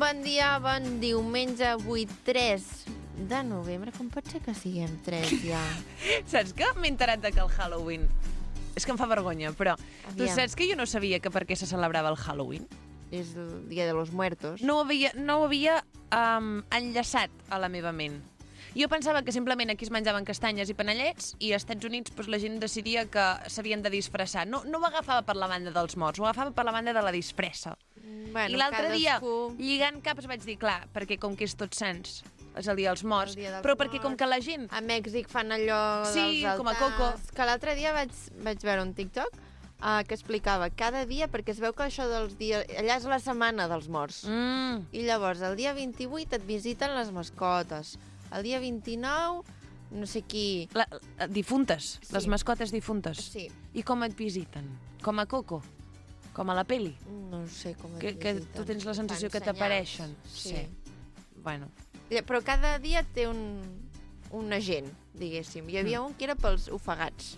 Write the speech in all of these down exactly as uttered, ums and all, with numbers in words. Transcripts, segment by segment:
Bon dia, bon diumenge, avui tres de novembre. Com pot ser que siguem tres ja? Saps que m'he enterat de que el Halloween... És que em fa vergonya, però... Aviam. Tu saps que jo no sabia que per què se celebrava el Halloween? És el dia de los muertos. No ho havia, no ho havia um, enllaçat a la meva ment. Jo pensava que simplement aquí es menjaven castanyes i panellets i als Estats Units pues, la gent decidia que s'havien de disfressar. No, no ho agafava per la banda dels morts, ho agafava per la banda de la disfressa. Bueno, I l'altre cadascú... dia, lligant caps, vaig dir, clar, perquè com que és Tots Sants, és el dia dels morts, El dia dels però perquè com morts. que la gent... A Mèxic fan allò Sí, dels altars. com a Coco. Que l'altre dia vaig, vaig veure un TikTok uh, que explicava cada dia, perquè es veu que això dels dies... Allà és la setmana dels morts. Mm. I llavors, el dia vint-i-vuit et visiten les mascotes. El dia vint-i-nou, no sé qui... La, la, difuntes, Sí. les mascotes difuntes. Sí. I com et visiten? Com a Coco? Com a la peli? No sé com et Que, que visiten. tu tens la sensació Fan que t'apareixen. senyals. Sí. Bueno. Ja, però cada dia té un, un agent, diguéssim. Hi havia Mm. un que era pels ofegats.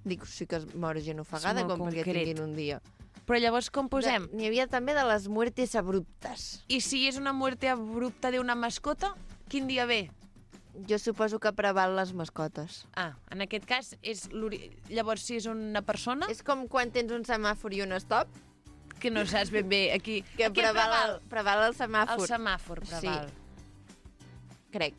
Dic, sí que es mor gent ofegada, molt com perquè concret. tinguin un dia. Però llavors com posem? De- N'hi havia també de les muertes abruptes. I si és una muerte abrupta d'una mascota, quin dia ve? Jo suposo que preval les mascotes. Ah, en aquest cas, és l'ori- llavors si és una persona, És com quan tens un semàfor i un stop, que no saps ben bé aquí. que aquí preval, preval. el, preval el semàfor. El semàfor preval. Crec.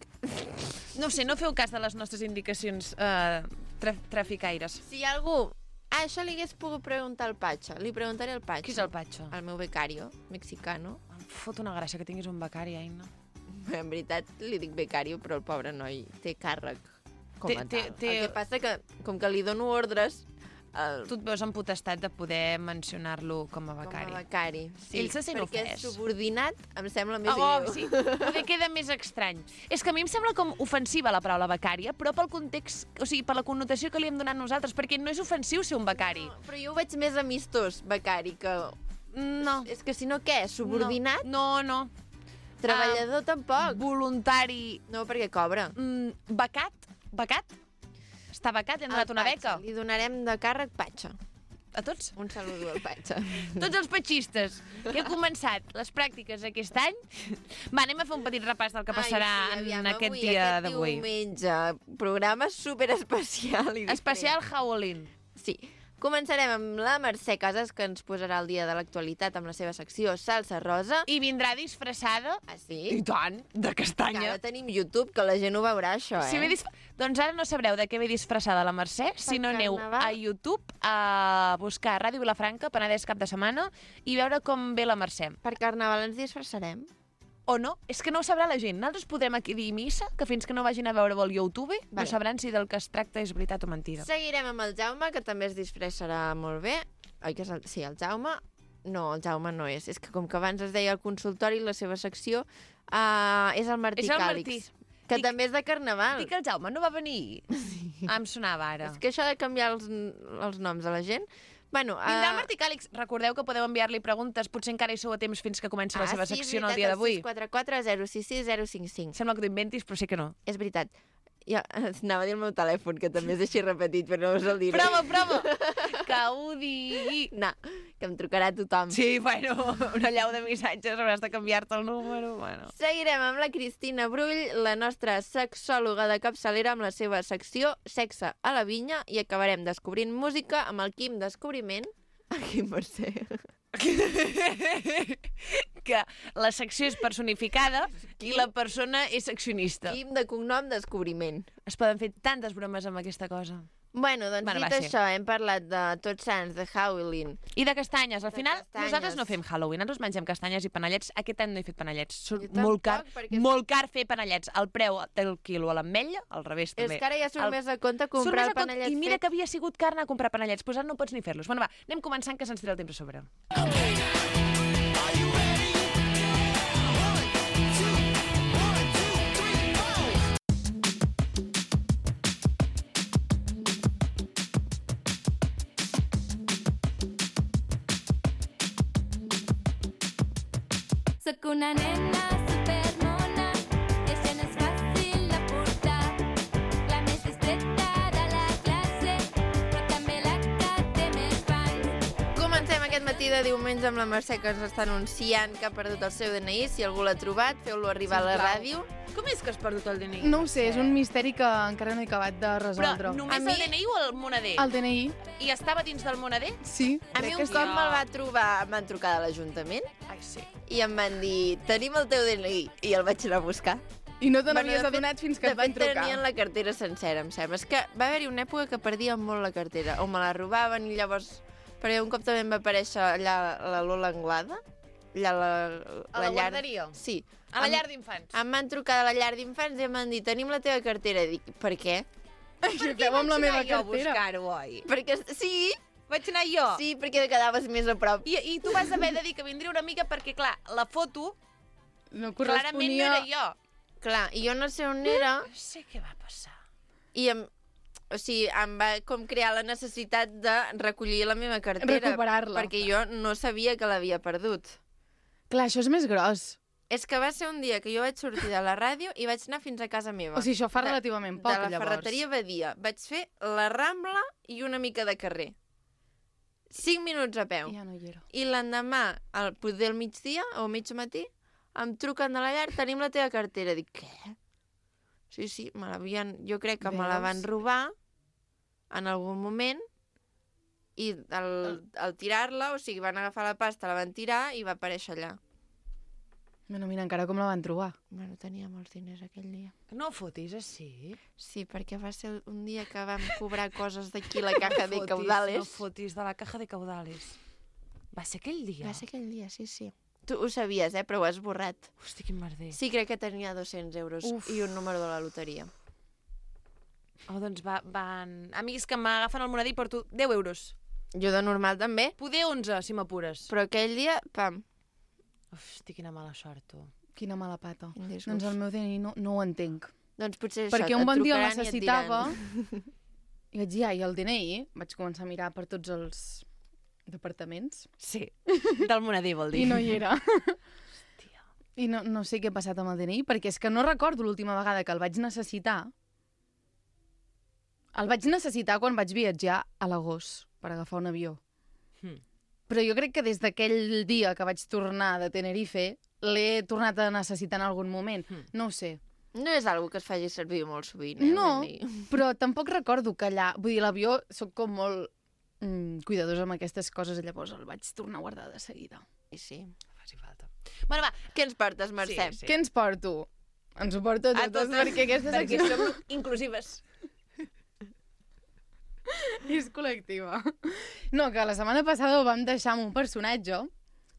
No ho sé, no feu cas de les nostres indicacions eh, tra traficaires. Si hi ha algú... Ah, això li hagués pogut preguntar al Patxa. Li preguntaré al Patxa. Qui és el Patxo? El meu becario, mexicano. Em fot una gràcia que tinguis un becari, Aina. En veritat, li dic becario, però el pobre noi té càrrec com a Té- té- tal. té- El que passa que, com que li dono ordres, el, Tu et veus en potestat de poder mencionar-lo com a com becari. a becari. Sí, Ell se sent perquè ofès. subordinat em sembla més Oh, greu. sí, perquè queda més estrany. És que a mi em sembla com ofensiva la paraula becària, però pel context, o sigui, per la connotació que li hem donat nosaltres, perquè no és ofensiu ser un becari. No, però jo ho veig més amistós, becari, que... No. És que si no, què? Subordinat? No, no. Treballador tampoc. Voluntari. No, perquè cobra. Mm, becat? Becat? Està becat? Li han donat Al una Patxa. beca? Li donarem de càrrec Patxa. A tots? Un saludo al Patxa. Tots els patxistes que he començat les pràctiques aquest any. Va, anem a fer un petit repàs del que passarà Ai, sí, aviam, en aquest avui, dia aquest d'avui. diumenge, programa superespecial i diferent. Especial Halloween. Sí. Començarem amb la Mercè Casas, que ens posarà el dia de l'actualitat amb la seva secció Salsa Rosa. I vindrà disfressada, Ah, sí? i tant, de Que castanya. ara tenim YouTube, que la gent ho veurà, això, eh? Si ve disf... Doncs ara no sabreu de què ve disfressada la Mercè, si no aneu carnaval. a YouTube a buscar Ràdio Vilafranca, Penedès cap de setmana, i veure com ve la Mercè. Per Carnaval ens disfressarem. O no, és que no ho sabrà la gent. Nosaltres podrem aquí dir missa, que fins que no vagin a veure el YouTube, Vale. no sabran si del que es tracta és veritat o mentida. Seguirem amb el Jaume, que també es disfressarà molt bé. Oi que és el... Sí, el Jaume... No, el Jaume no és. És que com que abans es deia el consultori, la seva secció, uh, és el Martí És el Càlix. Martí. Que Dic- també és de Carnaval. Dic que el Jaume no va venir. Sí. Ah, em sonava ara. És que això de canviar els, els noms a la gent... Bueno, Vindrà el uh, Martí Càlix. Recordeu que podeu enviar-li preguntes, potser encara hi sou a temps fins que comenci la seva sí, és secció en el veritat, dia d'avui. sis quatre quatre zero sis sis zero cinc cinc. Sembla que t'ho inventis, però sé que no. És veritat. Ja, anava a dir el meu telèfon, que també és així repetit, però no us el diré. Prova, prova! Que ho digui! No, que em trucarà tothom. Sí, bueno, una llau de missatges, hauràs de canviar-te el número, bueno. Seguirem amb la Cristina Brull, la nostra sexòloga de capçalera, amb la seva secció Sexe a la vinya, i acabarem descobrint música amb el Quim Descobriment. El Quim Mercè. Que la secció és personificada i la persona és seccionista. Quim de cognom Descobriment. Es poden fer tantes bromes amb aquesta cosa. Bueno, doncs Bueno, dit va, sí. això, hem parlat de Tots Sants, de Halloween. I de castanyes. Al De final, castanyes. nosaltres no fem Halloween, nosaltres mengem castanyes i panellets. Aquest any no he fet panellets. Són Jo tampoc, molt car, perquè- molt car fer panellets. El preu del quilo a l'ametlla, al revés És també. que ara ja surt El- més a compte Surt comprar més el a compte. panellet I mira fet. que havia sigut car anar a comprar panellets, doncs ara no pots ni fer-los. Bueno, va, anem començant que se'ns tira el temps a sobre. Soc una nena supermona i això no és fàcil de portar. La més distreta de la classe, però també la que té més fans. Comencem aquest aquest matí de diumenge amb la Mercè, que ens està anunciant que ha perdut el seu D N I. Si algú l'ha trobat, feu-lo arribar a la ràdio. Com és que has perdut el D N I? No ho sé, és un misteri que encara no he acabat de resoldre. Però només A mi- el D N I o el moneder? El D N I, I estava dins del moneder? sí. A mi crec un que cop sí. me'l va trobar, em van trucar de l'Ajuntament Ai, sí. i em van dir, tenim el teu D N I, i el vaig anar a buscar. I no te Bueno, n'havies de fet- adonat fins que de et van fet, trucar. tenien la cartera sencera, em sembla. És que va haver-hi una època que perdia molt la cartera, o me la robaven i llavors... Perquè un cop també em va aparèixer allà la Lola Anglada, allà la, A la llar... guarderia? Sí. A la Em- llar d'infants. Em van trucar de la llar d'infants i em van dir, tenim la teva cartera. Dic, per què? Què feu amb la meva jo a cartera? buscar-ho, oi? Perquè sí, Vaig anar jo. sí, perquè quedaves més a prop. I, I tu vas haver de dir que vindria una mica perquè, clar, la foto No clarament no corresponia... era jo. Clar, i jo no sé on era, No sé què va passar. i em, o sigui, em va com crear la necessitat de recollir la meva cartera. Recuperar-la. Perquè jo no sabia que l'havia perdut. Clar, això és més gros. És que va ser un dia que jo vaig sortir de la ràdio i vaig anar fins a casa meva. O sigui, això fa De- relativament poc, de la llavors. ferreteria Badia. Vaig fer la Rambla i una mica de carrer. Cinc minuts a peu. Ja no hi era. I l'endemà, al poder al migdia o mig matí, em truquen de la llar, tenim la teva cartera. Dic, què? Sí, sí, me l'havien... Jo crec que me la Veus? van robar en algun moment i al, al tirar-la, o sigui, van agafar la pasta, la van tirar i va aparèixer allà. Bueno, mira, encara com la van trobar. Bueno, tenia molts diners aquell dia. No fotis així. Sí, perquè va ser un dia que vam cobrar coses d'aquí la caja de No caudales. fotis de la caja de caudales. Va ser aquell dia? Va ser aquell dia, sí, sí. Tu ho sabies, eh? Però ho has borrat. Hosti, quin merder. Sí, crec que tenia dos-cents euros Uf. i un número de la loteria. Oh, doncs va, van... Amics que m'agafen el monedí porto deu euros. Jo de normal també, Poder onze, si m'apures. però aquell dia, pam. Hosti, quina mala sort, tu. Quina mala pata. Quin disgust. Doncs el meu D N I no, no ho entenc. Doncs potser és Perquè això, un bon et dia el trucaran i et necessitava diran. i vaig dir, ai, el D N I? Vaig començar a mirar per tots els departaments Sí, del monedí vol dir. i no hi era. Hòstia. I no, no sé què ha passat amb el D N I, perquè és que no recordo l'última vegada que el vaig necessitar. El vaig necessitar quan vaig viatjar a l'agost per agafar un avió. Hmm. Però jo crec que des d'aquell dia que vaig tornar de Tenerife l'he tornat a necessitar en algun moment. Hmm. No ho sé. No és algo que es faci servir molt sovint, eh? No, el D N I. però tampoc recordo que allà... Vull dir, l'avió soc com molt mm, cuidadosa amb aquestes coses, llavors el vaig tornar a guardar de seguida. I sí. Faci falta. Bueno, va. Què ens portes, Mercè? Sí, sí. Què ens porto? Ens ho porto A totes, totes, perquè aquesta Perquè secció som inclusives. és col·lectiva. No, que la setmana passada ho vam deixar amb un personatge.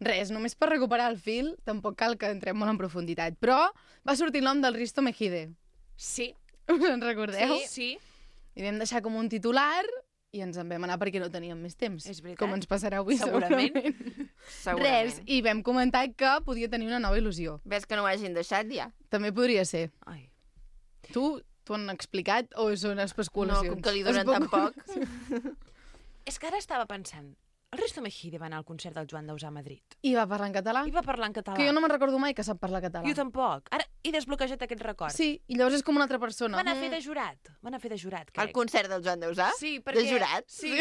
Res, només per recuperar el fil, tampoc cal que entrem molt en profunditat. Però va sortir el nom del Risto Mejide. Sí. Us en recordeu? Sí, sí. I vam deixar com un titular i ens en vam anar perquè no teníem més temps. És veritat. Com ens passarà avui, Segurament. segurament. Segurament. Res, i vam comentar que podia tenir una nova il·lusió. Ves que no ho hagin deixat ja? També podria ser. Ai. Tu t'ho han explicat o són No, especulacions? com que li donen tan poc. És que ara estava pensant, el Risto Mejide va anar al concert del Joan Dausà a Madrid. I va parlar en català? I va parlar en català. Que jo no me'n recordo mai que sap parlar català. Jo tampoc. Ara he desbloquejat aquest record. Sí, i llavors és com una altra persona. Va anar a fer de jurat. Va anar a fer de jurat, crec. Al concert del Joan Dausà? Sí, perquè... De jurat? Sí.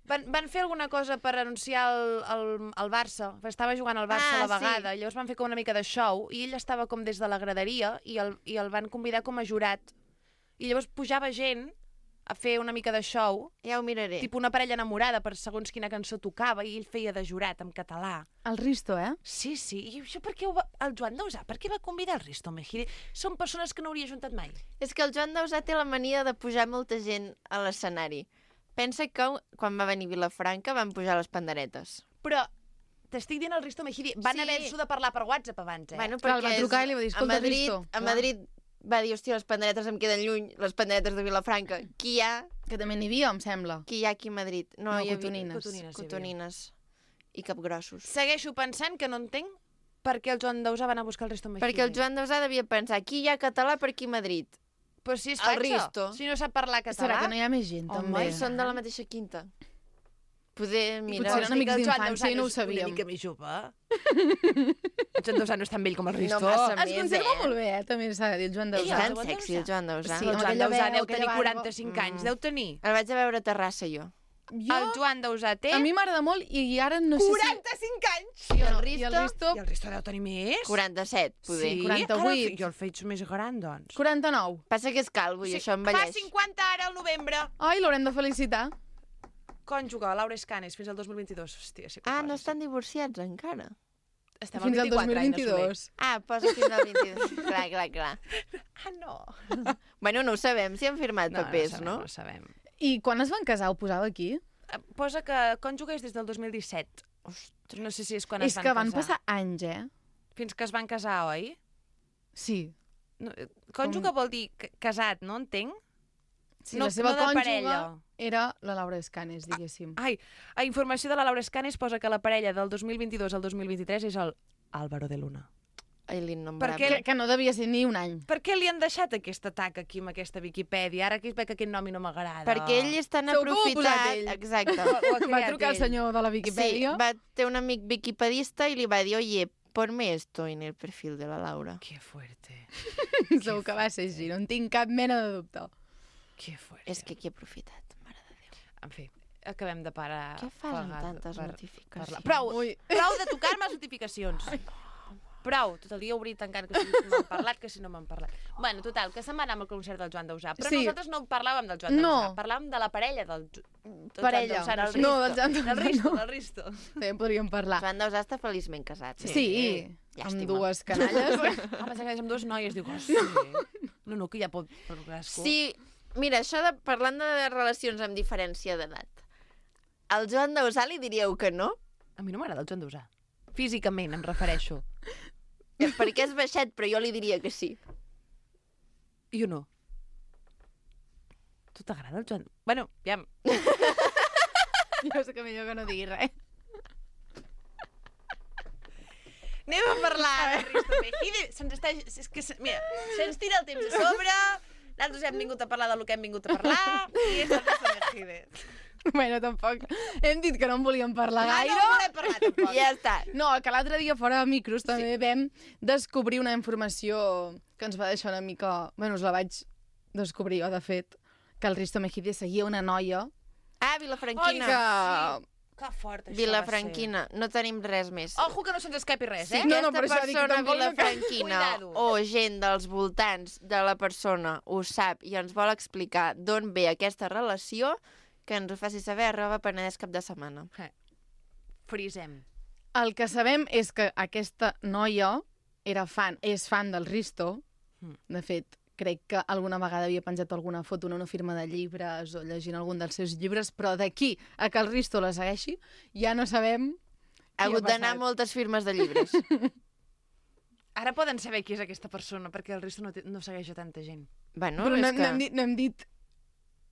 Van, van fer alguna cosa per anunciar el, el, el Barça. Estava jugant al Barça Ah, a la vegada. sí. Llavors van fer com una mica de show i ell estava com des de la graderia i el, i el van convidar com a jurat. I llavors pujava gent a fer una mica de show, Ja ho miraré. tipus una parella enamorada per segons quina cançó tocava i ell feia de jurat en català. El Risto, eh? Sí, sí. I això per què ho va... El Joan Dausà, per què va convidar el Risto Mejide? Són persones que no hauria juntat mai. És que el Joan Dausà té la mania de pujar molta gent a l'escenari. Pensa que quan va venir Vilafranca van pujar les panderetes. Però t'estic dient el Risto Mejide. Van Sí. haver-s'ho de parlar per WhatsApp abans, eh? Bueno, Clar, el va perquè trucar és- i li va dir, a "Escolta, Madrid, Risto". A Clar. Madrid va dir, hòstia, les panderetes em queden lluny, les panderetes de Vilafranca. Qui hi ha? Que també n'hi havia, em sembla. Qui hi ha aquí a Madrid? No, No, hi havia... cotonines. Cotonines. sí, Cotonines. I capgrossos. Segueixo pensant que no entenc per què el Joan Dausà va anar a buscar el Risto Mejide. Perquè el Joan Dausà devia pensar, qui hi ha català per aquí a Madrid? Però si és El fatxa, Risto. si no sap parlar català... Serà que no hi ha més gent, Home, també? I són de la mateixa quinta. Poder potser mirar... eren amics el Joan d'infància Dausà i no ho és sabíem. Una mica més jove. El Joan Dausà no és tan vell com el Risto. No massa Es més, conserva eh? molt bé, eh? També s'ha de dir, el Joan És Dausà. tan Joan sexy, el Dausà. Joan Dausà. Sí, el amb Joan aquella Dausà veu, deu aquella tenir barba. quaranta-cinc anys, Mm. deu tenir. El vaig a veure a Terrassa, jo. Jo, el Joan Dausà té a mi m'agrada molt i ara no sé quaranta-cinc anys. I el si... Risto? I el Risto, I el Risto deu tenir més? quaranta-set, poder. Sí, quaranta-vuit. Ara, jo el faig més gran, doncs. quaranta-nou. Passa que és calvo i això Fa envelleix. cinquanta ara, al novembre. Ai, l'haurem de felicitar. Cònjuge, Laura Escanes, fins al dos mil vint-i-dos. Hòstia, sí que Ah, posa, no sí. estan divorciats encara. Estem Fins al dos al mil vint-i-quatre, Aina Soler. vint-i-dos. Ah, posa fins al vint-i-dos. clar, clar, clar. Ah, no. Bueno, no ho sabem, si han firmat No, papers, no? no? No sabem. I quan es van casar ho posava aquí? Eh, Posa que cònjuge és des del dos mil disset. Ostres, no sé si és quan És es van que van casar. passar anys, eh? Fins que es van casar, oi? Sí. No, eh, cònjuge vol dir ca- casat, no entenc? Sí, No- la seva no de cònjuge parella. era la Laura Escanes, diguéssim. Ai, a informació de la Laura Escanes posa que la parella del dos mil vint-i-dos al dos mil vint-i-tres és el Álvaro de Luna. Ai, l'innombrable. Per què? Que, que no devia ser ni un any. Per què li han deixat aquest atac aquí amb aquesta Viquipèdia? Ara que veig que aquest nom no m'agrada. Perquè ell és tan Segur que ho ha posat aprofitat... ell. Exacte. Ho ha Va creat trucar al ell. senyor de la Sí, Viquipèdia. va, té un amic viquipedista i li va dir, oye, ponme esto en el perfil de la Laura. Que fuerte. Segur que va ser així, no en tinc cap mena de dubte. Que fuerte. És que qui ha aprofitat, mare de Déu. En fi, acabem de parar... Què fas amb pagar- tantes per- notificacions? parlar. Prou, Ui. prou de tocar-me les notificacions. Prou, tot el dia obrir i tancant, que si m'han parlat, que si no m'han parlat. Bueno, total, que se'n va anar amb el concert del Joan Dausà. Però Sí. nosaltres no parlàvem del Joan No. Dausà, parlàvem de la parella del, Ju- del Parella. Joan Dausà. Del No, Risto. del Joan Del Dausà, Risto, no. del Risto. També en podríem parlar. Joan Dausà està feliçment casat. Sí, Sí. amb Llàstima. dues canalles. Ah, pensava que és amb dues noies. Diu, oh, sí. No, no, que ja pot... Per cadascú. Sí, mira, això de, parlant de relacions amb diferència d'edat, al Joan Dausà li diríeu que no? A mi no m'agrada el Joan Dausà. Físicament, em refereixo. Eh, Perquè és baixet, però jo li diria que sí. Jo no. Tu t'agrada el Joan? Bueno, ja... Jo sé que millor que no digui res. Anem a parlar de Risto Mejide. Se'ns està... És que, se... mira, se'ns tira el temps a sobre, nosaltres hem vingut a parlar del que hem vingut a parlar, i és el Risto Mejide. Bueno, tampoc. Hem dit que no en volíem parlar Ah, gaire. no volem parlar, tampoc. Ja està. No, que l'altre dia fora de micros també vam descobrir una informació que ens va deixar una mica... Bueno, us la vaig descobrir jo, de fet, que el Risto Mejide seguia una noia Ah, Vilafranquina. que... Que fort, això Vilafranquina. No tenim res més. va ser. Ojo que no se'ns escapi res, Si eh? No, aquesta no, per això dic, persona tampoc no cal- vilafranquina Cuidado. o gent dels voltants de la persona ho sap i ens vol explicar d'on ve aquesta relació, que ens ho faci saber arroba Penedès cap de setmana. Eh. Frisem. El que sabem és que aquesta noia era fan, és fan del Risto. Mm. De fet, crec que alguna vegada havia penjat alguna foto en una firma de llibres o llegint algun dels seus llibres, però d'aquí a que el Risto la segueixi ja no sabem Ha què hagut d'anar a passat. moltes firmes de llibres. Ara poden saber qui és aquesta persona, perquè el Risto no, té, no segueix a tanta gent. Bueno, Però no, és no, que hem dit, no hem dit...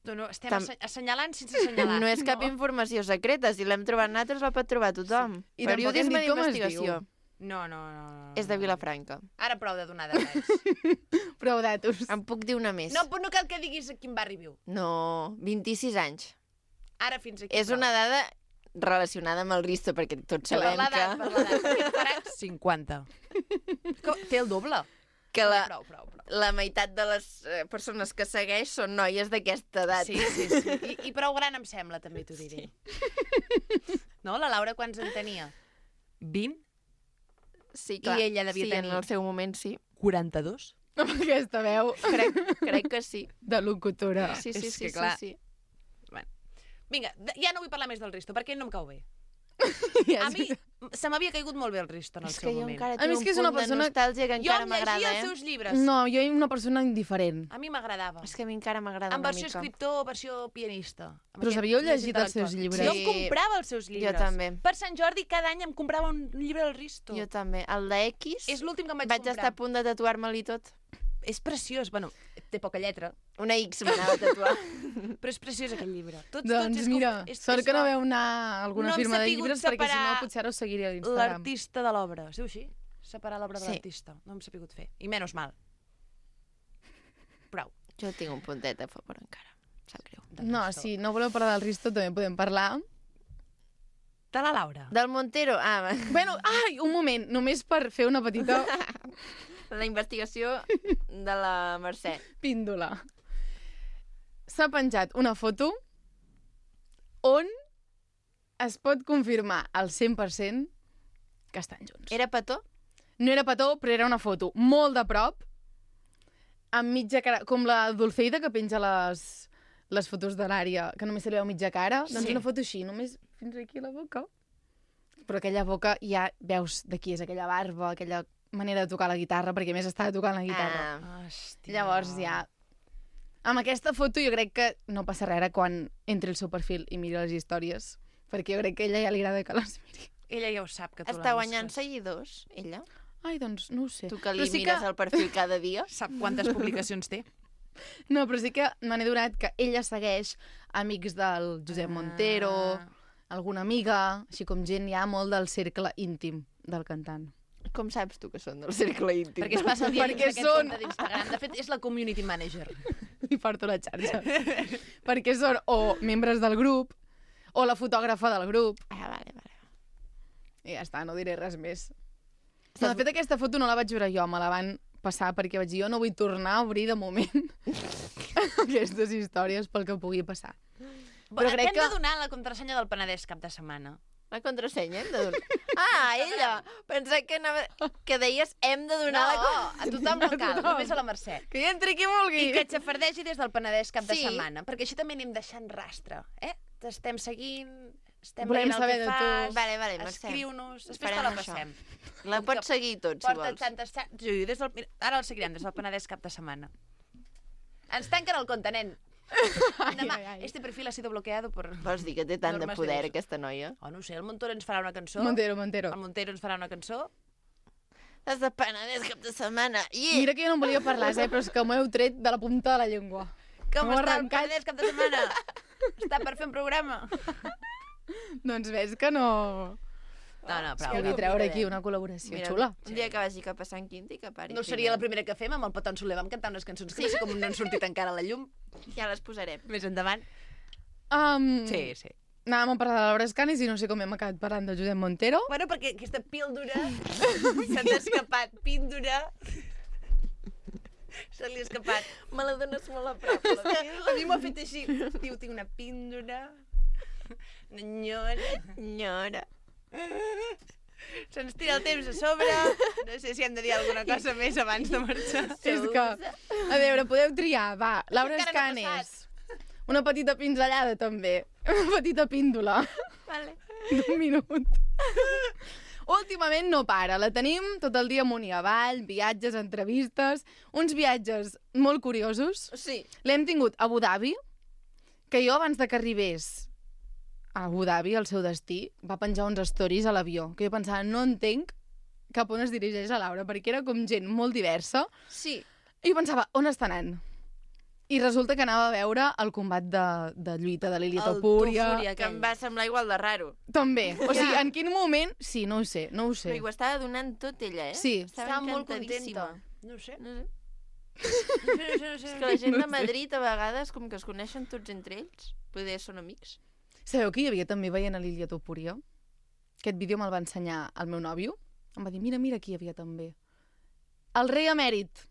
No, no, estem Tam- Tam... assenyalant sense assenyalar. no és cap No. informació secreta. Si l'hem trobat nosaltres, la pot trobar tothom. I tampoc hem Periodisme dit com es d'investigació. diu. No, no, no, no. És de Vilafranca. Ara prou de donar detalls. Prou datos. Em puc dir una més? no, però no cal que diguis a quin barri viu. No, vint-i-sis anys. Ara fins aquí. És una dada relacionada amb el Risto, perquè tots Per sabem l'edat, per que, l'edat. perquè faran cinquanta. Que té el doble. que la, Prou, prou, prou. la meitat de les eh, persones que segueix són noies d'aquesta edat. Sí, sí, sí. I, I prou gran em sembla, també t'ho diré. No, la Laura quants en tenia? vint? Sí, I ella devia sí, tenir- en el seu moment sí. quaranta-dos? Amb aquesta veu Crec, crec que sí. de locutora. Sí, sí, És sí, que, clar, sí, sí. Vinga, de- ja no vull parlar més del Risto, perquè ell no em cau bé. Ja A és mi se m'havia caigut molt bé el Risto en el És seu que jo moment. encara A mi tinc és un que és punt una de persona- nostàlgia que Jo encara em m'agrada, llegia eh? els seus llibres. No, jo era una persona indiferent. A mi m'agradava. És que a mi encara m'agrada En una versió mica. escriptor, versió pianista. Amb Però aquest s'havíeu més llegit els seus intel·lectual. llibres? Jo Sí. em comprava els seus llibres. també. Per Sant Jordi cada any em comprava un llibre del Risto. Jo també. El de X És l'últim que em vaig, vaig comprar. estar a punt de tatuar-me-li tot. És preciós. Bueno, té poca lletra, Una X m'anava a tatuar. però és preciós aquell llibre. Tots, Doncs tots és mira, com, és, sort és que no la- veu anar a alguna No hem firma de sapigut llibres, perquè si no separar potser ara us seguiria a l'Instagram. l'artista de l'obra. Es diu així? Separar l'obra de Sí. l'artista. No hem sapigut fer. I menys mal. Prou. Jo tinc un puntet a favor encara. Em sap greu. Del No, Risto. si no voleu parlar del Risto, també podem parlar. De la Laura. Del Montero, ah, va. Bueno, ai, un moment, només per fer una petita La investigació de la Mercè. píndola. S'ha penjat una foto on es pot confirmar al cent per cent que estan junts. Era petó? No era petó, però era una foto molt de prop, amb mitja cara, com la Dulceida que penja les, les fotos de l'àrea, que només se li veu mitja cara. Sí. Doncs una foto així, només fins aquí a la boca. Però aquella boca ja veus de qui és aquella barba, aquella manera de tocar la guitarra, perquè a més estava tocant la guitarra. Ah. Hòstia. Llavors ja... Amb aquesta foto jo crec que no passa res ara quan entri al seu perfil i miri les històries, perquè jo crec que a ella ja li agrada que les miri. Ella ja ho sap, que tu Està la guanyant busques. seguidors, ella? Ai, doncs no ho sé. Tu que li Però sí mires el perfil cada dia? Sap quantes publicacions té. No, però sí que me n'he donat que ella segueix amics del Josep Montero, alguna amiga, així com gent ja molt del cercle íntim del cantant. Com saps tu que són del cercle íntim? Perquè es passa el dia dins Perquè d'aquest són- compte d'Instagram. De fet, és la community manager. I porto la xarxa. Perquè són o membres del grup, o la fotògrafa del grup. Ah, vale, vale. I ja està, no diré res més. No, de fet, aquesta foto no la vaig veure jo, me la van passar perquè vaig dir, jo no vull tornar a obrir de moment aquestes històries pel que pugui passar. Però crec Hem que... de donar la contrasenya del Penedès cap de setmana. La contrasenya hem de donar. Ah, ella! Pensava que, anava... que deies hem de donar No, la... a tothom no cal, tothom. només a la Mercè. Que hi entri qui vulgui! I que et xafardegi des del Penedès cap de Sí. setmana, perquè així també anem deixant rastre, eh? T'estem seguint, estem Volem veient el saber que de tu. fas, Vale, vale, Mercè. escriu-nos, després te Farem la això. passem. La Com pots que seguir tot, si Porta vols. tantes... Sí, des del... Mira, ara el seguirem des del Penedès cap de setmana. Ens tanquen el compte, nen. Demà, ai, ai. este perfil ha sido bloqueado por... Vols dir que té tant de Normes poder, Déus. aquesta noia? Oh, no ho sé, el Montoro ens farà una cançó. Montero, Montero. El Montero ens farà una cançó. Has de Penedès cap de setmana. Yeah. Mira que jo no en volia parlar, eh, però és que m'ho heu tret de la punta de la llengua. Com M'ho ha està el arrencat. Penedès cap de setmana? Està per fer un programa. Doncs ves que no... No, no, Que prou. vull treure aquí una col·laboració Mira, xula. un dia que vagi cap a Sant Quinti, que pari. No seria la primera que fem, amb el Peton Soler vam cantar unes cançons que no sé com no han sortit encara a la llum. Ja les posarem. Més endavant. Um, Sí, sí. Anàvem a parlar de Laura Escanis i no sé com hem acabat parlant de Josep Montero. Bueno, perquè aquesta píldora s'ha escapat. Píldora. Se li ha escapat. Me la dones molt a prop, la píldora. A mi m'ho ha fet així. Diu, tinc una píldora. Nyora. Senyora. Se'ns tira el temps a sobre. No sé si hem de dir alguna cosa més abans de marxar. És que, a veure, podeu triar, va, Laura Encara no ha Escanes. Una petita pinzellada, també. Una petita píndola Vale. d'un minut. Últimament no para, la tenim tot el dia amunt i avall, viatges, entrevistes, uns viatges molt curiosos. Sí. L'hem tingut a Abu Dhabi, que jo abans de que arribés a Abu Dhabi, al seu destí, va penjar uns stories a l'avió, que jo pensava, no entenc cap on es dirigeix a Laura, perquè era com gent molt diversa, Sí. i jo pensava, on està anant? I resulta que anava a veure el combat de, de lluita de l'Ilia El Topúria. Topúria. Que em va semblar igual de raro. També. O sigui, en quin moment... Sí, no ho sé, no ho sé. Però ho estava donant tot ella, eh? Sí. Estava, Estava molt encantadíssima. contenta. No ho sé. No sé. No sé, no sé, no sé. És que la gent de Madrid a vegades com que es coneixen tots entre ells. Poder són amics. Sabeu que hi havia també veient a l'Ilia Topúria? Aquest vídeo me'l va ensenyar el meu nòvio. Em va dir, mira, mira, aquí hi havia també. El rei emèrit.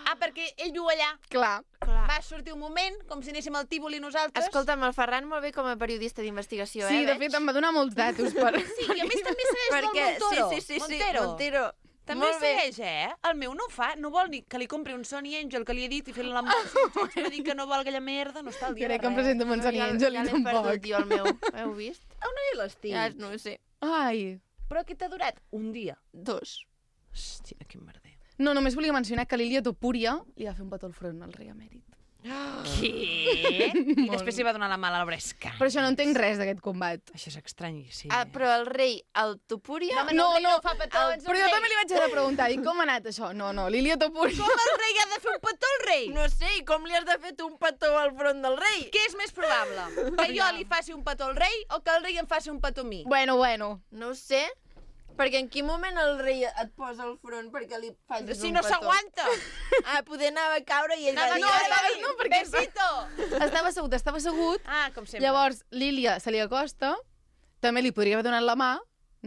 Ah, perquè ell viu allà. Clar. Clar. Va sortir un moment, com si anéssim al Tívoli nosaltres. Escolta'm, el Ferran molt bé com a periodista d'investigació, Sí, eh? de veig? fet, em va donar molts datos per... Sí, i a més també segueix Perquè... del Montoro. Sí, sí, sí, sí. Montero. Montero. També Molt bé. segueix, eh? El meu no ho fa. No vol ni que li compri un Sony Angel que li he dit i fer-li l'embolsa. Va dir que no vol aquella merda, no està al dia Crec de que em res. presento amb en Sony ja, Angel ja i l'he perdut tampoc. jo, el meu. Heu vist? On és l'estic? Ja no ho sé. Ai. Però què t'ha durat? Un dia. Dos. Hòstia, quin merder. No, només volia mencionar que l'Ilia Topúria li va fer un petó al front al rei emèrit. Què? I després li va donar la mà a la Bresca. Per això no entenc res d'aquest combat. Això és estrany, sí. Ah, però el rei, el Topúria... home, no, el rei no fa petons, Però el jo rei. també li vaig haver de preguntar, dic, com ha anat això? No, no, l'Ilia Topúria... Com el rei ha de fer un petó al rei? No sé, i com li has de fer tu un petó al front del rei? Què és més probable? Que jo li faci un petó al rei o que el rei em faci un petó a mi? Bueno, bueno. No ho sé, perquè en quin moment el rei et posa al front perquè li facis Si un no petó? s'aguanta! Ah, poder anava a caure i ell Anava va dir... no, "Ai, anava ai, a dir, no, perquè- besito! Estava assegut, estava assegut. Ah, com sempre. Llavors, l'Ilia se li acosta, també li podria haver donat la mà,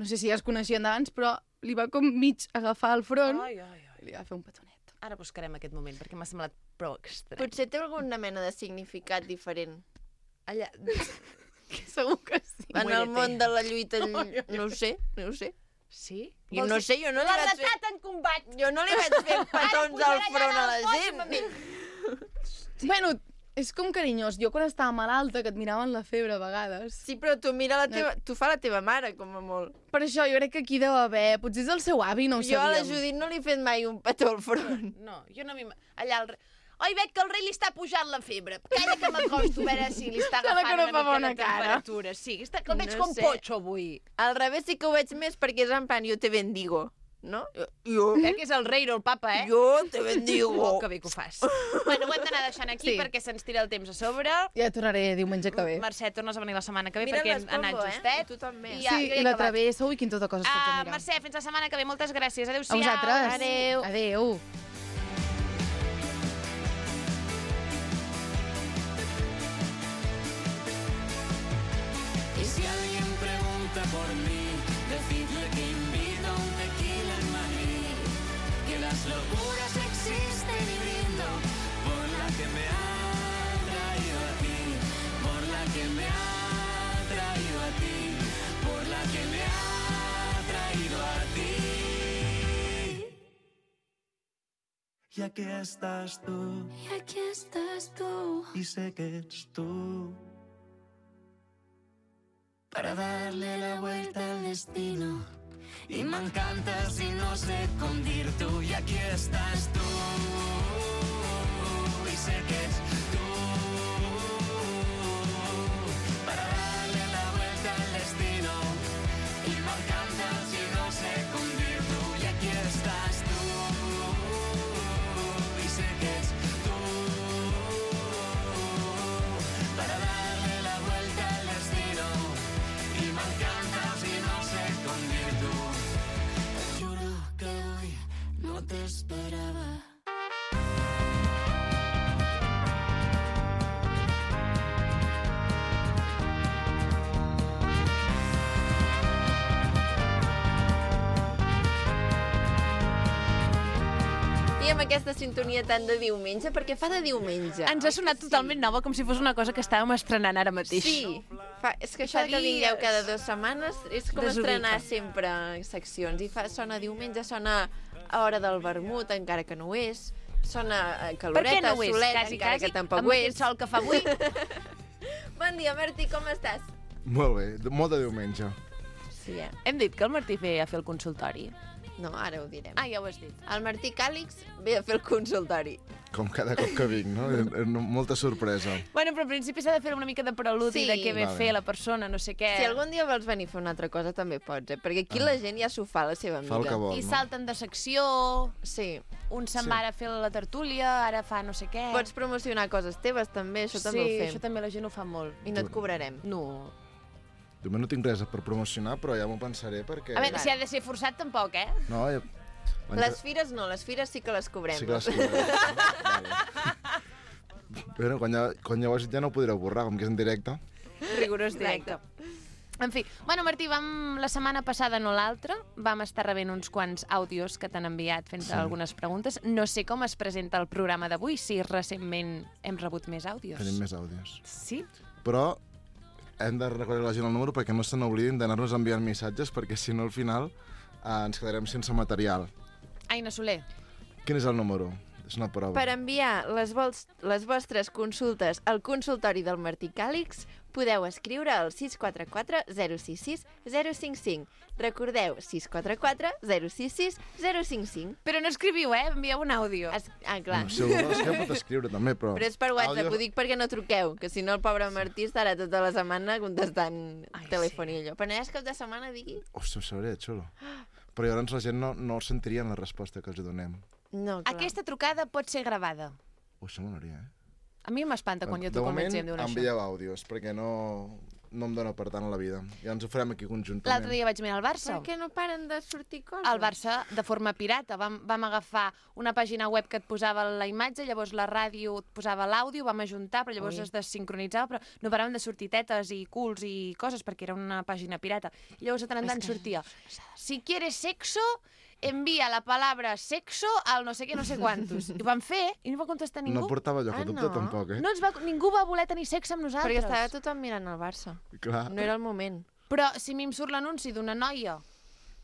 no sé si ja es coneixien d'abans, però li va com mig agafar el front Ai, ai, ai. i li va fer un petonet. Ara buscarem aquest moment, perquè m'ha semblat prou estrany. Potser té alguna mena de significat diferent. Allà... Segur que sí. En el Muérete. món de la lluita, no ho sé, no ho sé. Sí? Jo no sé, jo no li La vaig fer... retat en combat! Jo no li vaig fer petons al front a la gent. Bueno, és com carinyós. Jo quan estava malalta, que et miraven la febre a vegades. Sí, però tu mira la teva... Tu fa la teva mare, com a molt. Per això jo crec que aquí deu haver... Potser és el seu avi, no ho Jo a la sabíem. Judit no li he fet mai un petó al front. No, jo no m'hi... Allà el... Oi, veig que el rei li està pujant la febre. Calla que m'acosto a veure si li està Sembla agafant que no una fa mica bona de cara. temperatura. Sí, està, que el veig No com sé. potxo avui. Al revés sí que ho veig més perquè és en plan, jo te bendigo, no? Jo, jo, Eh, que és el rei, no el papa, eh? jo te bendigo. Oh, que bé que ho fas. Bueno, ho hem d'anar deixant aquí Sí. perquè se'ns tira el temps a sobre. Ja tornaré diumenge que ve. Mercè, tornes a venir la setmana que ve Mira perquè hem l'Espombo, anat eh? justet. I tu també. I ja- Sí, jo ja he i la acabat. travessa, ui, quin tot de coses que haig de Ah, mirar. Mercè, fins la setmana que ve. Moltes gràcies. A Adéu-siau. vosaltres. Adéu. Adéu. Y si alguien pregunta por mí, decidle que invito a un tequila en Madrid, que las locuras existen y brindo por la que me ha traído a ti, por la que me ha traído a ti, por la que me ha traído a ti. Y aquí estás tú, Y aquí estás tú. y sé que eres tú. Para darle la vuelta al destino. Y me encantas y no sé con dir tú. Y aquí estás tú. Y sé que es tú. Para darle la vuelta al destino. Y me encantas y no sé con dir tú. Y aquí estás tú. Y sé que es tú. Para darle la vuelta al destino. Y me encantas y no sé con virtud. Te juro que hoy no te esperaba. I amb aquesta sintonia tan de diumenge, perquè fa de diumenge. Ens ha sonat totalment nova, com si fos una cosa que estàvem estrenant ara mateix. Sí, fa, és que això Fa que vingueu dies. cada dues setmanes és com Desubica. estrenar sempre seccions. I fa, sona diumenge, sona a hora del vermut, encara que no ho és. Sona a Per què caloreta, no ho és? solet, Quasi, encara quasi, que tampoc amb ho aquest és. sol que fa avui. Bon dia, Martí, com estàs? Molt bé, de- molt de diumenge. Sí, eh? Hem dit que el Martí ve a fer el consultori. No, ara ho direm. Ah, ja ho has dit. El Martí Càlix ve a fer el consultori. Com cada cop que vinc, no? És- és Molta sorpresa. Bueno, però al principi s'ha de fer una mica de preludi Sí. de què ve Vale. fer la persona, no sé què. Si algun dia vols venir a fer una altra cosa, també pots, eh? Perquè aquí la gent ja s'ho fa a la seva Fa el mida. que vol, I no? salten de secció, Sí. un se'n Sí. va ara a fer la tertúlia, ara fa no sé què. Pots promocionar coses teves, també, això també sí, ho fem. això també la gent ho fa molt. I no et cobrarem. No. De moment no tinc res per promocionar, però ja m'ho pensaré perquè... A veure, si ha de ser forçat, tampoc, eh? No, ja... Les fires no, les fires sí que les cobrem. Sí que les cobrem. Vale. Bueno, quan ja, quan ja ho has dit ja no ho podreu borrar, com que és en directe. Rigorós directe. En fi, bueno, Martí, vam, la setmana passada, no l'altra, vam estar rebent uns quants àudios que t'han enviat fent Sí. algunes preguntes. No sé com es presenta el programa d'avui, si recentment hem rebut més àudios. Tenim més àudios. Sí? Però hem de recordar a la gent el número perquè no se n'oblidin d'anar-nos enviant missatges, perquè si no al final eh, ens quedarem sense material. Aina Soler. Quin és el número? És una prova. Per enviar les, vols, les vostres consultes al consultori del Martí Càlix, podeu escriure al sis quatre quatre zero sis sis zero cinc cinc. Recordeu, sis quatre quatre zero sis sis zero cinc cinc. Però no escriviu, eh? Envieu un àudio. Es, ah, clar. No, si algú vols que pot escriure també, però... Però és per WhatsApp, Àudio- ho dic perquè no truqueu, que si no el pobre Martí estarà tota la setmana contestant Ai, telèfon i allò. Però no és cap de setmana, digui? Hòstia, ho sabria, xulo. Però llavors la gent no, no sentirien la resposta que els donem. No, clar. Aquesta trucada pot ser gravada. Ui, això m'agradaria, eh? A mi m'espanta quan jo de truco al moment, metge i em diuen això. envieu àudios, perquè no, no em dona per tant a la vida. Ja ens ho farem aquí conjuntament. L'altre dia vaig mirar el Barça. Per què no paren de sortir coses? El Barça, de forma pirata, vam, vam agafar una pàgina web que et posava la imatge, llavors la ràdio et posava l'àudio, vam ajuntar, però llavors Ui. es desincronitzava, però no paraven de sortir tetes i culs i coses, perquè era una pàgina pirata. I llavors de tant en tant sortia, si quieres sexo envia la palabra sexo al no sé què, no sé quantos. I ho van fer i no va contestar ningú. No portava lloc Ah, a dubte, no? tampoc, eh? No ens va, ningú va voler tenir sexe amb nosaltres. Perquè estava tothom mirant el Barça. Clar. No era el moment. Però si a mi em surt l'anunci d'una noia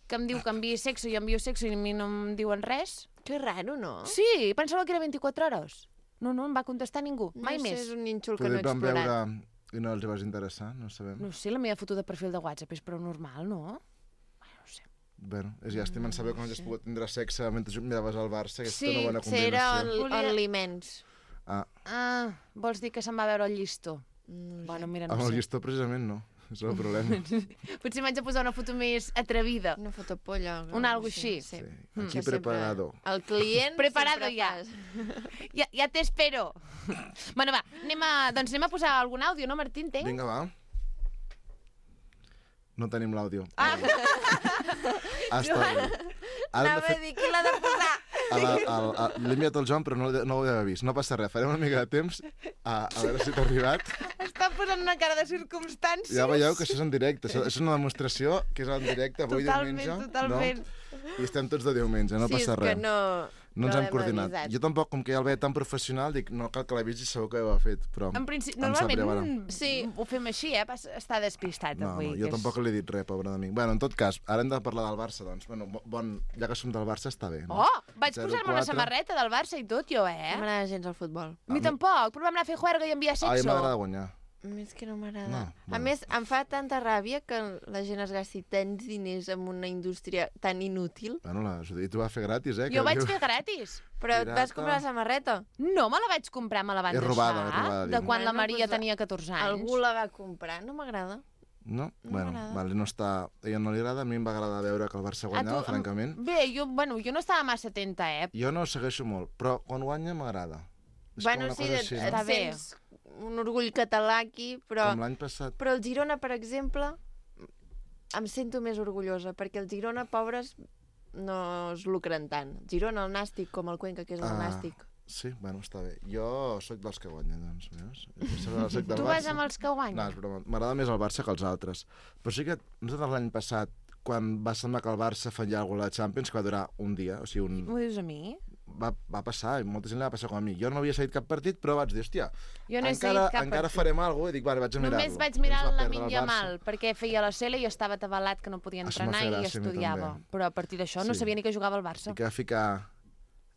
que em diu que enviï sexo i jo envio sexo i a mi no em diuen res... Que raro, no? Sí, pensava que era vint-i-quatre hores. No, no, em va contestar ningú, mai no sé, més. és un nínxol que no Poder he van explorat. veure i no els vas interessar, no sabem. No sé, la meva foto de perfil de WhatsApp és prou normal, no? Bueno, no sé. Bueno, és llàstima en saber com has pogut tindre sexe mentre miraves el Barça, que és Sí, una bona Sí, era combinació. on, on l'imens. Ah, Ah, vols dir que se'n va veure el llistó? No Bueno, mira, no amb el sé. llistó precisament no, és el problema. Potser m'haig de posar una foto més atrevida. Una fotopolla. Un algo així. Sí. Sí. Mm. Aquí Que sempre- preparado. El client Preparado sempre ja. fas. Ja, ja t'espero. Bueno, va, anem a, doncs anem a posar algun àudio, no, Martí, entenc? Vinga, va. No tenim l'àudio. Ah, Ah, està bé. Ara hem Anava de a fer... dir qui l'ha de posar. a la- al- a- L'he enviat al Joan, però no, no ho havia vist. No passa res, farem una mica de temps a, a veure si t'ha arribat. està posant una cara de circumstàncies. Ja veieu que això és en directe. Això és una demostració que és en directe avui Totalment, diumenge. totalment. No? I estem tots de diumenge, no sí, passa és res. que no... No ens hem l'hem coordinat. avisat. Jo tampoc, com que ja el veia tan professional, dic, no cal que la vegi, segur que ho ha fet, però... En principi, em sap greu ara. normalment Sí. ho fem així, eh? Pas- Està despistat No, avui. no, que jo és- tampoc li he dit res, pobre de mi. Bueno, en tot cas, ara hem de parlar del Barça, doncs. Bueno, bo- bon, ja que som del Barça, està bé, no? Oh, vaig zero posar-me una quatre. samarreta del Barça i tot, jo, No eh? m'agrada gens el futbol. A mi tampoc, però vam anar a fer juerga i enviar A mi sexo. m'agrada guanyar. A mi és que no m'agrada. No, A bueno. més, em fa tanta ràbia que la gent es gasti tants diners en una indústria tan inútil. Bueno, la Judit ho va fer gratis, eh? Jo que vaig diu- fer gratis. Però et vas Pirata. comprar la samarreta. No me la vaig comprar, me la van És robada, deixar. és robada, de diu. quan la Bueno, Maria doncs, tenia catorze anys. Algú la va comprar. No m'agrada. No? No bueno, m'agrada. vale, no està... A ella no li agrada, a mi em va agradar veure que el Barça A guanyava, tu, francament. Bé, jo, bueno, jo no estava massa atenta, eh? Jo no ho segueixo molt, però quan guanya m'agrada. És Bueno, com una sí, cosa et, així, et no? Està bé. sents un orgull català aquí, però... Com l'any passat. Però el Girona, per exemple, em sento més orgullosa, perquè el Girona, pobres, no es lucren tant. Girona, el Nàstic, com el Cuenca, que és el Ah. Nàstic. Sí, bueno, està bé. Jo sóc dels que guanyen, doncs, veus? Jo soc del Tu Barça. vas amb els que No, guanyen. és broma. M'agrada més el Barça que els altres. Però sí que nosaltres l'any passat, quan va semblar que el Barça faria alguna cosa a la Champions, que va durar un dia, o sigui, un... M'ho dius a mi? va, va passar, i molta gent li va passar com a mi. Jo no havia seguit cap partit, però vaig dir, hòstia, Jo no he encara, seguit cap encara partit. farem alguna cosa, i dic, vale, vaig a mirar-lo. Només vaig I mirar ens va la perdre el Lamin Barça. Yamal, perquè feia la cel·la i estava atabalat que no podia Això entrenar m'ha fet i gràcia a mi estudiava. també. Però a partir d'això no Sí. sabia ni que jugava al Barça. I que va ficar...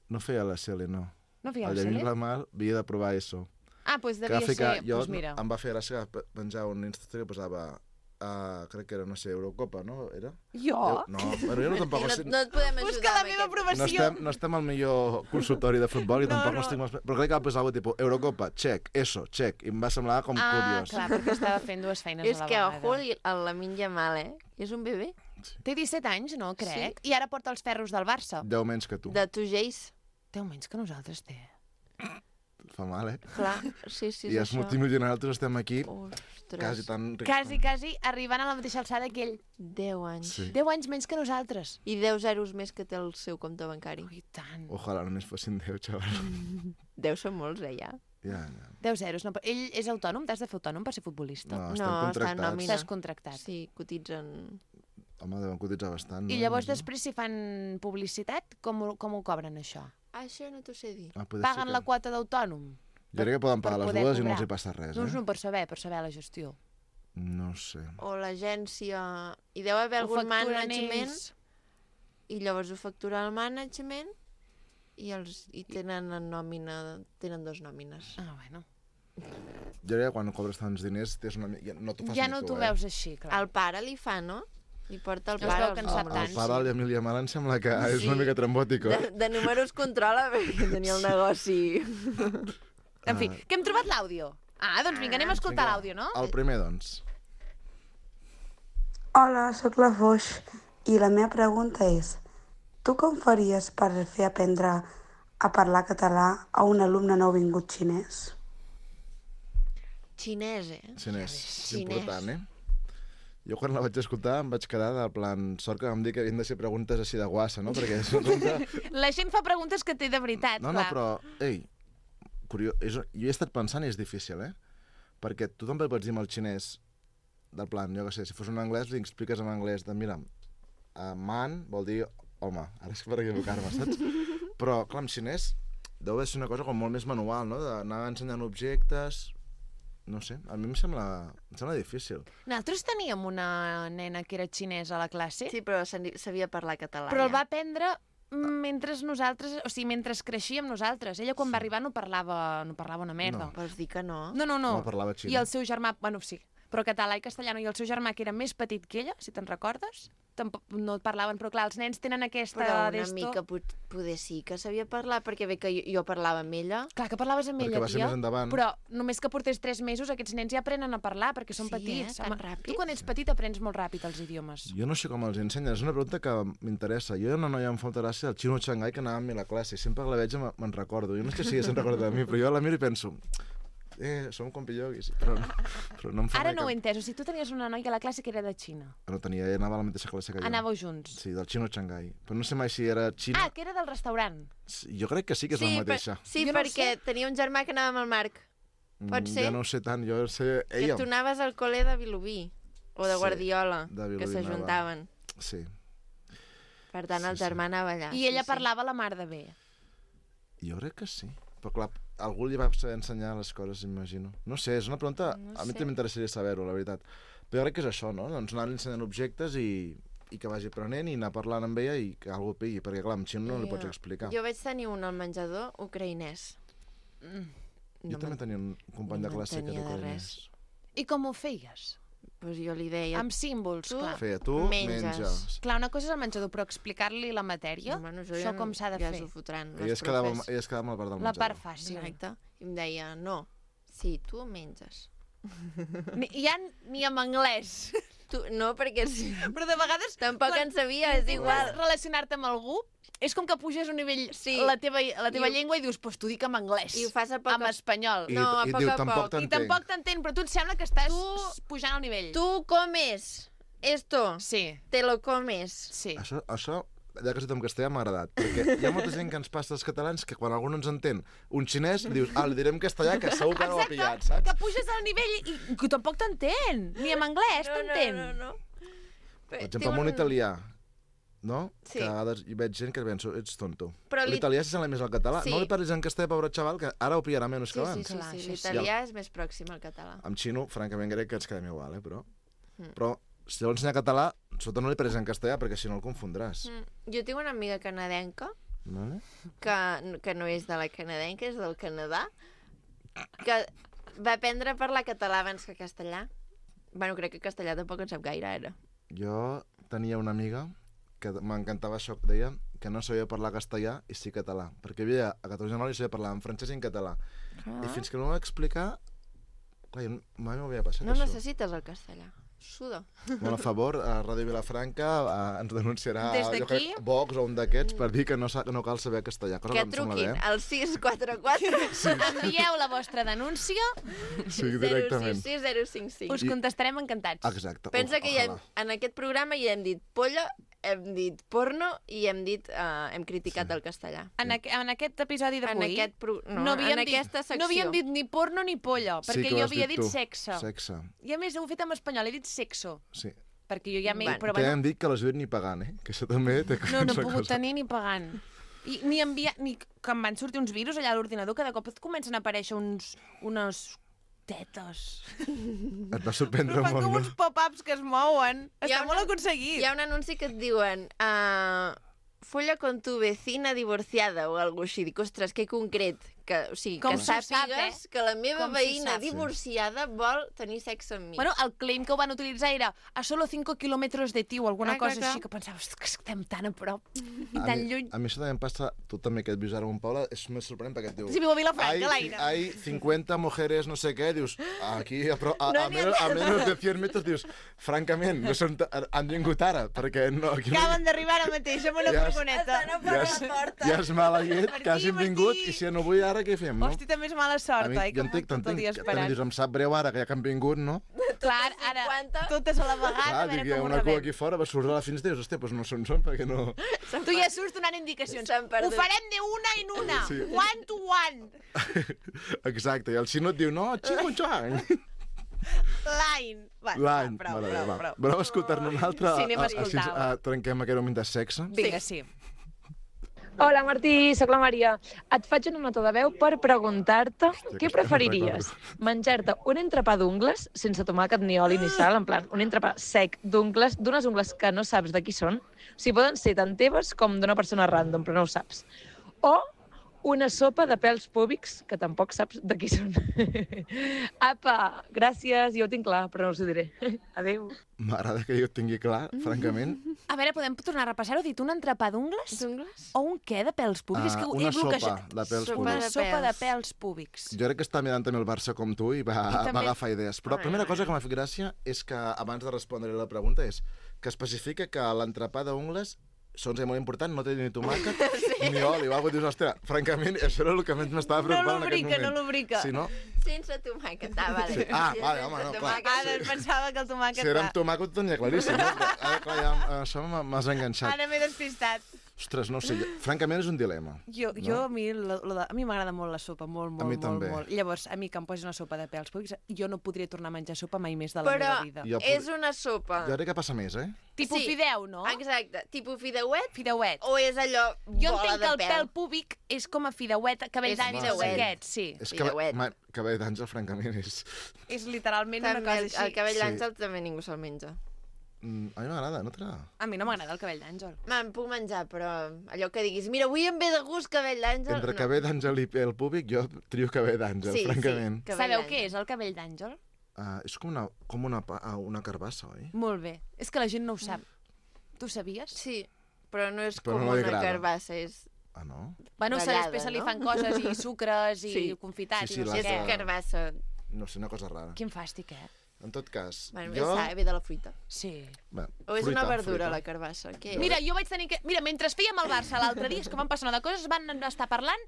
No feia la Cele, no. No feia El la Llamil cel·la? Lamal havia de provar això. Ah, doncs Que devia va ficar... ser... Jo, Doncs mira. em va fer gràcia que penjava un Insta que posava... Uh, crec que era, no sé, Eurocopa, no? Era? Jo? No, bueno, jo no tampoc... No, sé- no et podem ajudar Busca la amb meva aquest. No aprovació. estem, no estem al millor consultori de futbol i No, tampoc no, no. estic molt... Però crec que va posar alguna tipus Eurocopa, check, eso, check. I em va semblar com Ah, curiós. clar, perquè estava fent dues feines És a la que, vegada. ojo, el, el Lamin Yamal, eh? És un bebè. Té disset anys, no, crec? I ara porta els ferros del Barça. Deu menys que tu. De Tugeix. Deu menys que nosaltres té. Fa mal, eh? Clar, sí, sí, I és és això. multimilionar, nosaltres estem aquí Ostres. quasi tan rics. Quasi, quasi, arribant a la mateixa alçada que ell. Deu anys. Sí. Deu anys menys que nosaltres. I deu zeros més que té el seu compte bancari. Ui, tant. Ojalà només fossin deu, xaval. Deu ser molts, eh, ja. Ja, ja. Deu zeros. No, però ell és autònom? T'has de fer autònom per ser futbolista? No, No, estem està en contractats. nòmina. Estàs contractat. Sí, cotitzen... Home, deuen cotitzar bastant, no? I llavors No? després, si fan publicitat, com, ho- com ho cobren, això? Ah, això no t'ho sé dir. Ah, poder Paguen ser la que... quota d'autònom? Jo crec que poden per pagar les poder dues i no cobrar. els hi passa res, Doncs eh? no, per saber, per saber la gestió. No sé. O l'agència... I deu haver Ho algun facturen management ells. i llavors ho factura el management i, els, i tenen en nòmina, tenen dos nòmines. Ah, bueno. Jo crec que quan cobres tants diners tens una... mi- ja no t'ho fas Ja ni no tu, t'ho eh? veus així, clar. El pare li fa, no? Li porta el Es pare. veu els que en sap números. tant. El pare de l'Emília Mal em sembla que és una mica trambòtic, De, eh? de números controla perquè tenia el negoci. En fi, que hem trobat l'àudio. Ah, doncs vinga, anem a escoltar Vinga, l'àudio, no? El primer, doncs. Hola, sóc la Foix i la meva pregunta és: tu com faries per fer aprendre a parlar català a un alumne nouvingut xinès? Xinès, eh? Xinès. És Xinès. important, eh? Jo quan la vaig escoltar em vaig quedar del plan... Sort que vam dir que havien de ser preguntes així de guassa, no? Perquè és una... La gent fa preguntes que té de veritat, No, no, clar. però, ei, curiós, és, jo he estat pensant i és difícil, eh? Perquè tu també pots dir amb el xinès, del plan, jo què sé, si fos un anglès, li expliques en anglès de, mira, uh, man vol dir home, ara és per equivocar-me, saps? Però, clar, en xinès deu haver ser una cosa com molt més manual, no? D'anar ensenyant objectes... No sé, a mi em sembla, em sembla difícil. Nosaltres teníem una nena que era xinesa a la classe, Sí, però sabi- sabia parlar català. però el ja. va aprendre mentre nosaltres, o sigui, mentre creixíem nosaltres. Ella quan va arribar no parlava, no parlava una merda. No. Vols dir que no? No, no, no. No parlava xinès. I el seu germà, bueno, sí, però català i castellano, i el seu germà, que era més petit que ella, si te'n recordes, tampoc no parlaven, però clar, els nens tenen aquesta Però una d'esto. mica pot, poder sí que sabia parlar, perquè bé que jo, jo parlava amb ella. Clar, que parlaves amb Perquè ella, va ser tia, més endavant. però només que portés tres mesos aquests nens ja aprenen a parlar, perquè són Sí, petits. eh? Tan Home, ràpid. Tu quan ets petit aprens molt ràpid els idiomes. Jo no sé com els ensenyen, és una pregunta que m'interessa. Jo hi ha una noia amb falta gràcia, el xino Xangai, que anava amb mi a la classe, i sempre que la veig me- me'n recordo. Jo no sé si ella se'n recorda de mi, però jo la miro i penso... Eh, som compilloguis, però, no- però no em fa Ara res no ho he cap... entès, o sigui, tu tenies una noia a la classe que era de Xina. No tenia, ella anava a la mateixa classe que jo. Anàveu junts. Sí, del xino Xangai. Però no sé mai si era xina... Ah, que era del restaurant. Sí, jo crec que sí que és sí, la mateixa. Per, sí, Jo no perquè tenia un germà que anava amb el Marc. pot Mm, ser? Jo no ho sé tant, jo sé... Que Ella... tu anaves al col·le de Vilobí, o de Sí, Guardiola, de que Vilobí s'ajuntaven. Sí. Per tant, el Sí, sí. germà anava allà. I ella sí, sí. parlava la mar de bé. Jo crec que sí. Però clar, algú li va saber ensenyar les coses, imagino. No sé, és una pregunta... No a mi sé. també m'interessaria saber-ho, la veritat. Però jo crec que és això, no? Doncs anar ensenyant objectes i, i que vagi aprenent i anar parlant amb ella i que algú pilli, perquè clar, amb xino no li pots explicar. Jo vaig tenir un al menjador ucraïnès. Mm. Jo també tenia un company no de classe que m'entenia era de ucraïnès. I com ho feies? Pues jo li deia... Amb símbols, tu- clar. Feia tu, Menges. menges. Clar, una cosa és el menjador, però explicar-li la matèria, Bueno, això ja, com s'ha de ja fer. s'ho fotran Que ella les es, quedava, profes. ella es quedava amb la part del La menjador. part fàcil. Exacte. I em deia, no, sí, tu menges. Ni, ja ni en anglès. Tu, no, perquè sí. Però de vegades... Tampoc quan en sabia, és igual. intentes relacionar-te amb algú, és com que puges un nivell Sí. la teva, la teva I ho- llengua i dius, pues t'ho dic en anglès. I ho fas a poc En a- espanyol. I, No, a i poc diu, a tampoc poc. I t'entenc. tampoc t'entén, però tu et sembla que estàs Tu- pujant al nivell. Tu comes esto, Sí, te lo comes. sí. Això, això, ja que has dit en castellà, m'ha agradat, perquè hi ha molta gent que ens passa als catalans que quan algú no ens entén un xinès, dius, ah, li direm castellà, que segur que no ho ha pillat, saps? Que puges al nivell i, i que tampoc t'entén. Ni en anglès t'entén. No, no, no. Per exemple, amb un italià, no? Sí. Que a vegades hi veig gent que penso, ets tonto. Però l'it- L'italià s'assembla més al català. Sí. No li parlis en castellà, pobre xaval, que ara ho pillarà menys Sí, que sí, abans. sí, Clar, sí. això sí. L'italià és més pròxim al català. Amb xino, francament, crec que ens quedem igual, eh? Però, Mm. però si vols ensenyar català, sota no li parlis en castellà, perquè si no el confondràs. Mm. Jo tinc una amiga canadenca, Vale? que, que no és de la canadenca, és del Canadà, que va aprendre a parlar català abans que castellà. Bueno, crec que castellà tampoc en sap gaire, ara. Jo tenia una amiga que m'encantava això que deia que no sabia parlar castellà i sí català, perquè havia a catorze anys i sabia parlar en francès i en català. Ah. I fins que no m'ho va explicar, clar, jo mai m'ho havia passat, No això. necessites el castellà. Suda. Bueno, a favor, a Ràdio Vilafranca eh, ens denunciarà Des jo d'aquí? crec, Vox o un d'aquests per dir que no, sa- que no cal saber castellà. Cosa Que que em sembla truquin bé. al sis quatre quatre Envieu la vostra denúncia, Sí, zero directament. sis sis zero cinc cinc. us contestarem encantats. Exacte. Pensa o- que ja hem, ojalà. en aquest programa ja hem dit polla, hem dit porno i hem dit uh, hem criticat Sí. el castellà. En, aqu en aquest episodi En d'avui aquest pro... no, no havíem en dit, aquesta secció. no havíem dit ni porno ni polla, Sí perquè que ho jo has havia dit dit tu. sexe. Sexe. I a més ho he fet en espanyol, he dit sexo, Sí. perquè jo ja m'he... Bueno, Però Que bueno, hem dit que les he dit ni pagant, eh? Que això també té no, no he una pogut cosa. tenir ni pagant. I ni enviar... Ni que em van sortir uns virus allà a l'ordinador, que de cop et comencen a aparèixer uns... unes tetes. Et va sorprendre Però fan molt, com no? uns pop-ups que es mouen. Hi ha Està una- molt aconseguit. Hi ha un anunci que et diuen uh, folla con tu vecina divorciada o alguna així. Dic, ostres, que concret. Que, o sigui, Com que s'ho sap, sàpigues eh? que la meva Com s'ho veïna sap. divorciada vol tenir sexe amb mi. Bueno, el claim que ho van utilitzar era a solo cinco kilómetros de ti o alguna Clar, clar, cosa clar. així, que pensaves que estem tan a prop i A tan mi, lluny. a mi això també em passa, tu també que et vius ara amb un Paula, és més sorprenent perquè et diu... Si viu a Vilafranca, hay, l'Aina. hay cincuenta mujeres, no sé què, dius, aquí a, pro, a, No a, n'hi ha menos, a tantes. menos de cien metres, dius, francament, no són, ta- han vingut ara, perquè no, aquí no, Acaben d'arribar ara mateix amb una Ja és- furgoneta. Estan a ja, per és, la porta. ja és mala llet, Per que hagin aquí, per vingut, aquí. i si no vull ara, què fem, no? Hosti, també és mala a sort, mi, oi? jo Com entenc, tot el t'entenc, dia que també esperant. dius, em sap greu ara, que ja que han vingut, no? Clar, ara, cinquanta. totes a la vegada, Clar, a veure dic, hi ha com ho una cua rebem. aquí fora, va sortir a la fins, dius, hòstia, doncs no són són, perquè no... Tu ja surts donant indicacions. S'han Ho perdut. farem de una en una, Sí. one to one. Exacte, i el xino et diu, no, xingo xuang. L'any. Va, L'any. Prou, Vale, prou, va. prou. Voleu escoltar-ne un altre? Sí, anem a A- així escoltar-ho. ens- a- Trenquem aquest moment de sexe? Vinga, sí. Hola Martí, sóc la Maria. Et faig una nota de veu per preguntar-te Hòstia, què aquesta no preferiries? Menjar-te un entrepà d'ungles sense tomàquet ni oli ni sal, en plan, un entrepà sec d'ungles, d'unes ungles que no saps de qui són, o sigui, poden ser tant teves com d'una persona random, però no ho saps. O una sopa de pèls púbics que tampoc saps de qui són. Apa, gràcies, jo ho tinc clar, però no us ho diré. Adéu. M'agrada que jo ho tingui clar, francament. A veure, podem tornar a repassar-ho? Dit un entrepà d'ungles? D'ungles? O un què de pèls púbics? És Ah, que una he bloquejat. sopa de pèls Sopa públics. Una de sopa de pèls. pèls públics. Jo crec que està mirant també el Barça com tu i va, I també- va agafar idees. Però la primera cosa que m'ha fet gràcia és que, abans de respondre la pregunta, és que especifica que l'entrepà d'ungles, això ens és molt important, no té ni tomàquet ni oli. O alguna cosa. Dius, ostres, francament, això era el que més m'estava preocupant en aquest lubrica, moment. no lubrica. Si no, Sense tomàquet, ah, vale. Sí. Ah, Si és vale, sense home, no, clar. tomàquet, Ara em pensava que el tomàquet... si era va. amb tomàquet ho tenia claríssim. No? Però ara, clar, ja, això m'ha- m'has enganxat. Ara m'he despistat. Ostres, no ho sé, jo- francament és un dilema. Jo, No? jo a mi, lo, lo de, a mi m'agrada molt la sopa, molt, molt, A mi molt, també. molt. Llavors, a mi que em posi una sopa de pèls públics, jo no podria tornar a menjar sopa mai més de la Però meva vida. Jo és una sopa. Jo crec que passa més, eh? Tipus sí. fideu, no? Exacte. Tipus fideuet Fideuet. o és allò Jo bola entenc que el de pèl púbic és com a fideuet, cabell És d'àngels fideuet. aquests, sí. És que Fideuet. ma, cabell d'àngel, francament, és... És literalment una També, cosa el, així. el cabell Sí. d'àngel també ningú se'l menja. Mm, a mi m'agrada, no t'agrada? A mi no m'agrada el cabell d'àngel. Me'n puc menjar, però allò que diguis, mira, avui em ve de gust cabell d'àngel... Entre no. cabell d'àngel i pèl públic, jo trio cabell d'àngel, Sí, francament. sí, cabell Sabeu d'àngel. què és el cabell d'àngel? Uh, és com una, com una, pa- ah, una carbassa, oi? Molt bé. És que la gent no ho sap. Tu ho sabies? Sí, però no és Però com no li una agrada. carbassa, és... Ah, no? Bueno, se Ratllada, després se li no? fan coses i sucres i Sí. confitats Sí, sí, i no les sé de- què. És carbassa. No sé, una cosa rara. Quin fàstic, eh? En tot cas, Bueno, jo... jo... ve de la fruita. Sí. Bé, O és fruita, una verdura, fruita. la carbassa. Què és? Mira, jo vaig tenir que... Mira, mentre fèiem el Barça l'altre dia, és que van passar una de coses, van estar parlant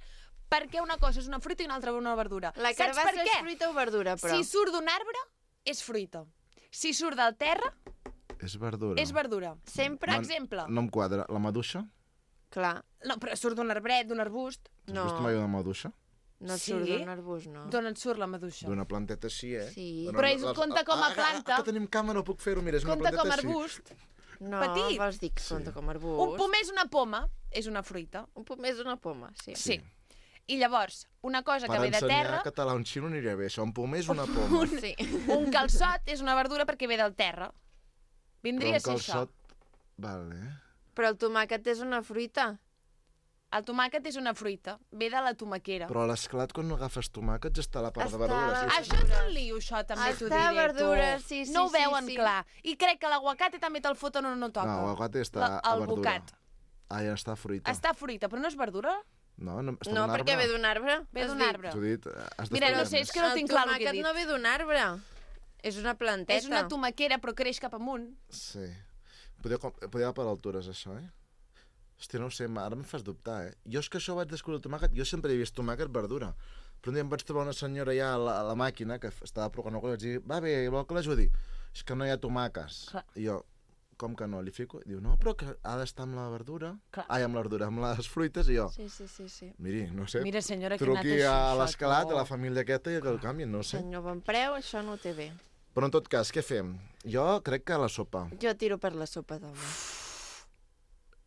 perquè una cosa és una fruita i una altra una verdura. La Saps carbassa per què? és fruita o verdura, però... Si surt d'un arbre, és fruita. Si surt del terra, És verdura. és verdura. Sempre... Per exemple, No em quadra. La maduixa? Clar, no, però surt d'un arbret, d'un arbust, Has no, vist mai una maduixa? no Sí? surt d'un arbust, no. d'on et surt la maduixa? D'una planteta així, eh? Sí. Bueno, Però és- les- compta com a ah, ah, planta. Ah, que tenim càmera, no puc fer-ho, mira, és una Compta planteta com a així. arbust. No, petit. vols dir que Sí. compta com a arbust? Un pomer és una poma, és una fruita. Un pomer és una poma, sí. Sí. I llavors, una cosa Per que ve de ensenyar terra, català a un xino aniria bé. Això, un pomer és una poma. Sí. un calçot és una verdura perquè ve del terra. Però Vindria un a ser això. calçot... Vale. Però el tomàquet és una fruita. El tomàquet és una fruita, ve de la tomaquera. Però a l'esclat, quan no agafes tomàquets, està la part Està de verdures. la- Sí, sí. Això és un lío, això, també t'ho Està diré, verdura, tu. sí, sí, No ho sí, veuen sí. clar. I crec que l'aguacate també te'l foten o no toca. No, l'aguacate està La- a el verdura. bocat. Ah, ja està fruita. Està fruita, però no és verdura? No, no, està No, d'un perquè arbre. ve d'un arbre. Ve has d'un dit. arbre. T'ho he dit, eh, has Mira, no d'estudiar sé, és més. que no tinc clar el que he tomàquet dit. no ve d'un arbre. És una planteta. És una tomaquera, però creix cap amunt. Sí. Podria, com- podria anar per altures, això, eh? Hòstia, no ho sé, ara em fas dubtar, eh? Jo és que això vaig descobrir el tomàquet, jo sempre he vist tomàquet verdura. Però un dia em vaig trobar una senyora ja a la, a la màquina, que estava provant alguna cosa, i vaig dir, va bé, vol que l'ajudi? És que no hi ha tomàquets. Clar. I jo, com que no? Li fico? Diu, no, però que ha d'estar amb la verdura. Clar. Ai, amb la verdura, amb les fruites, i jo, Sí, sí, sí, sí. miri, no sé, Mira, senyora, que ha anat truqui així, a això, l'escalat, tu. a la família aquesta, i que el canvien, no ho sé. Senyor Bonpreu, això no ho té bé. Però en tot cas, què fem? Jo crec que la sopa. Jo tiro per la sopa d'home.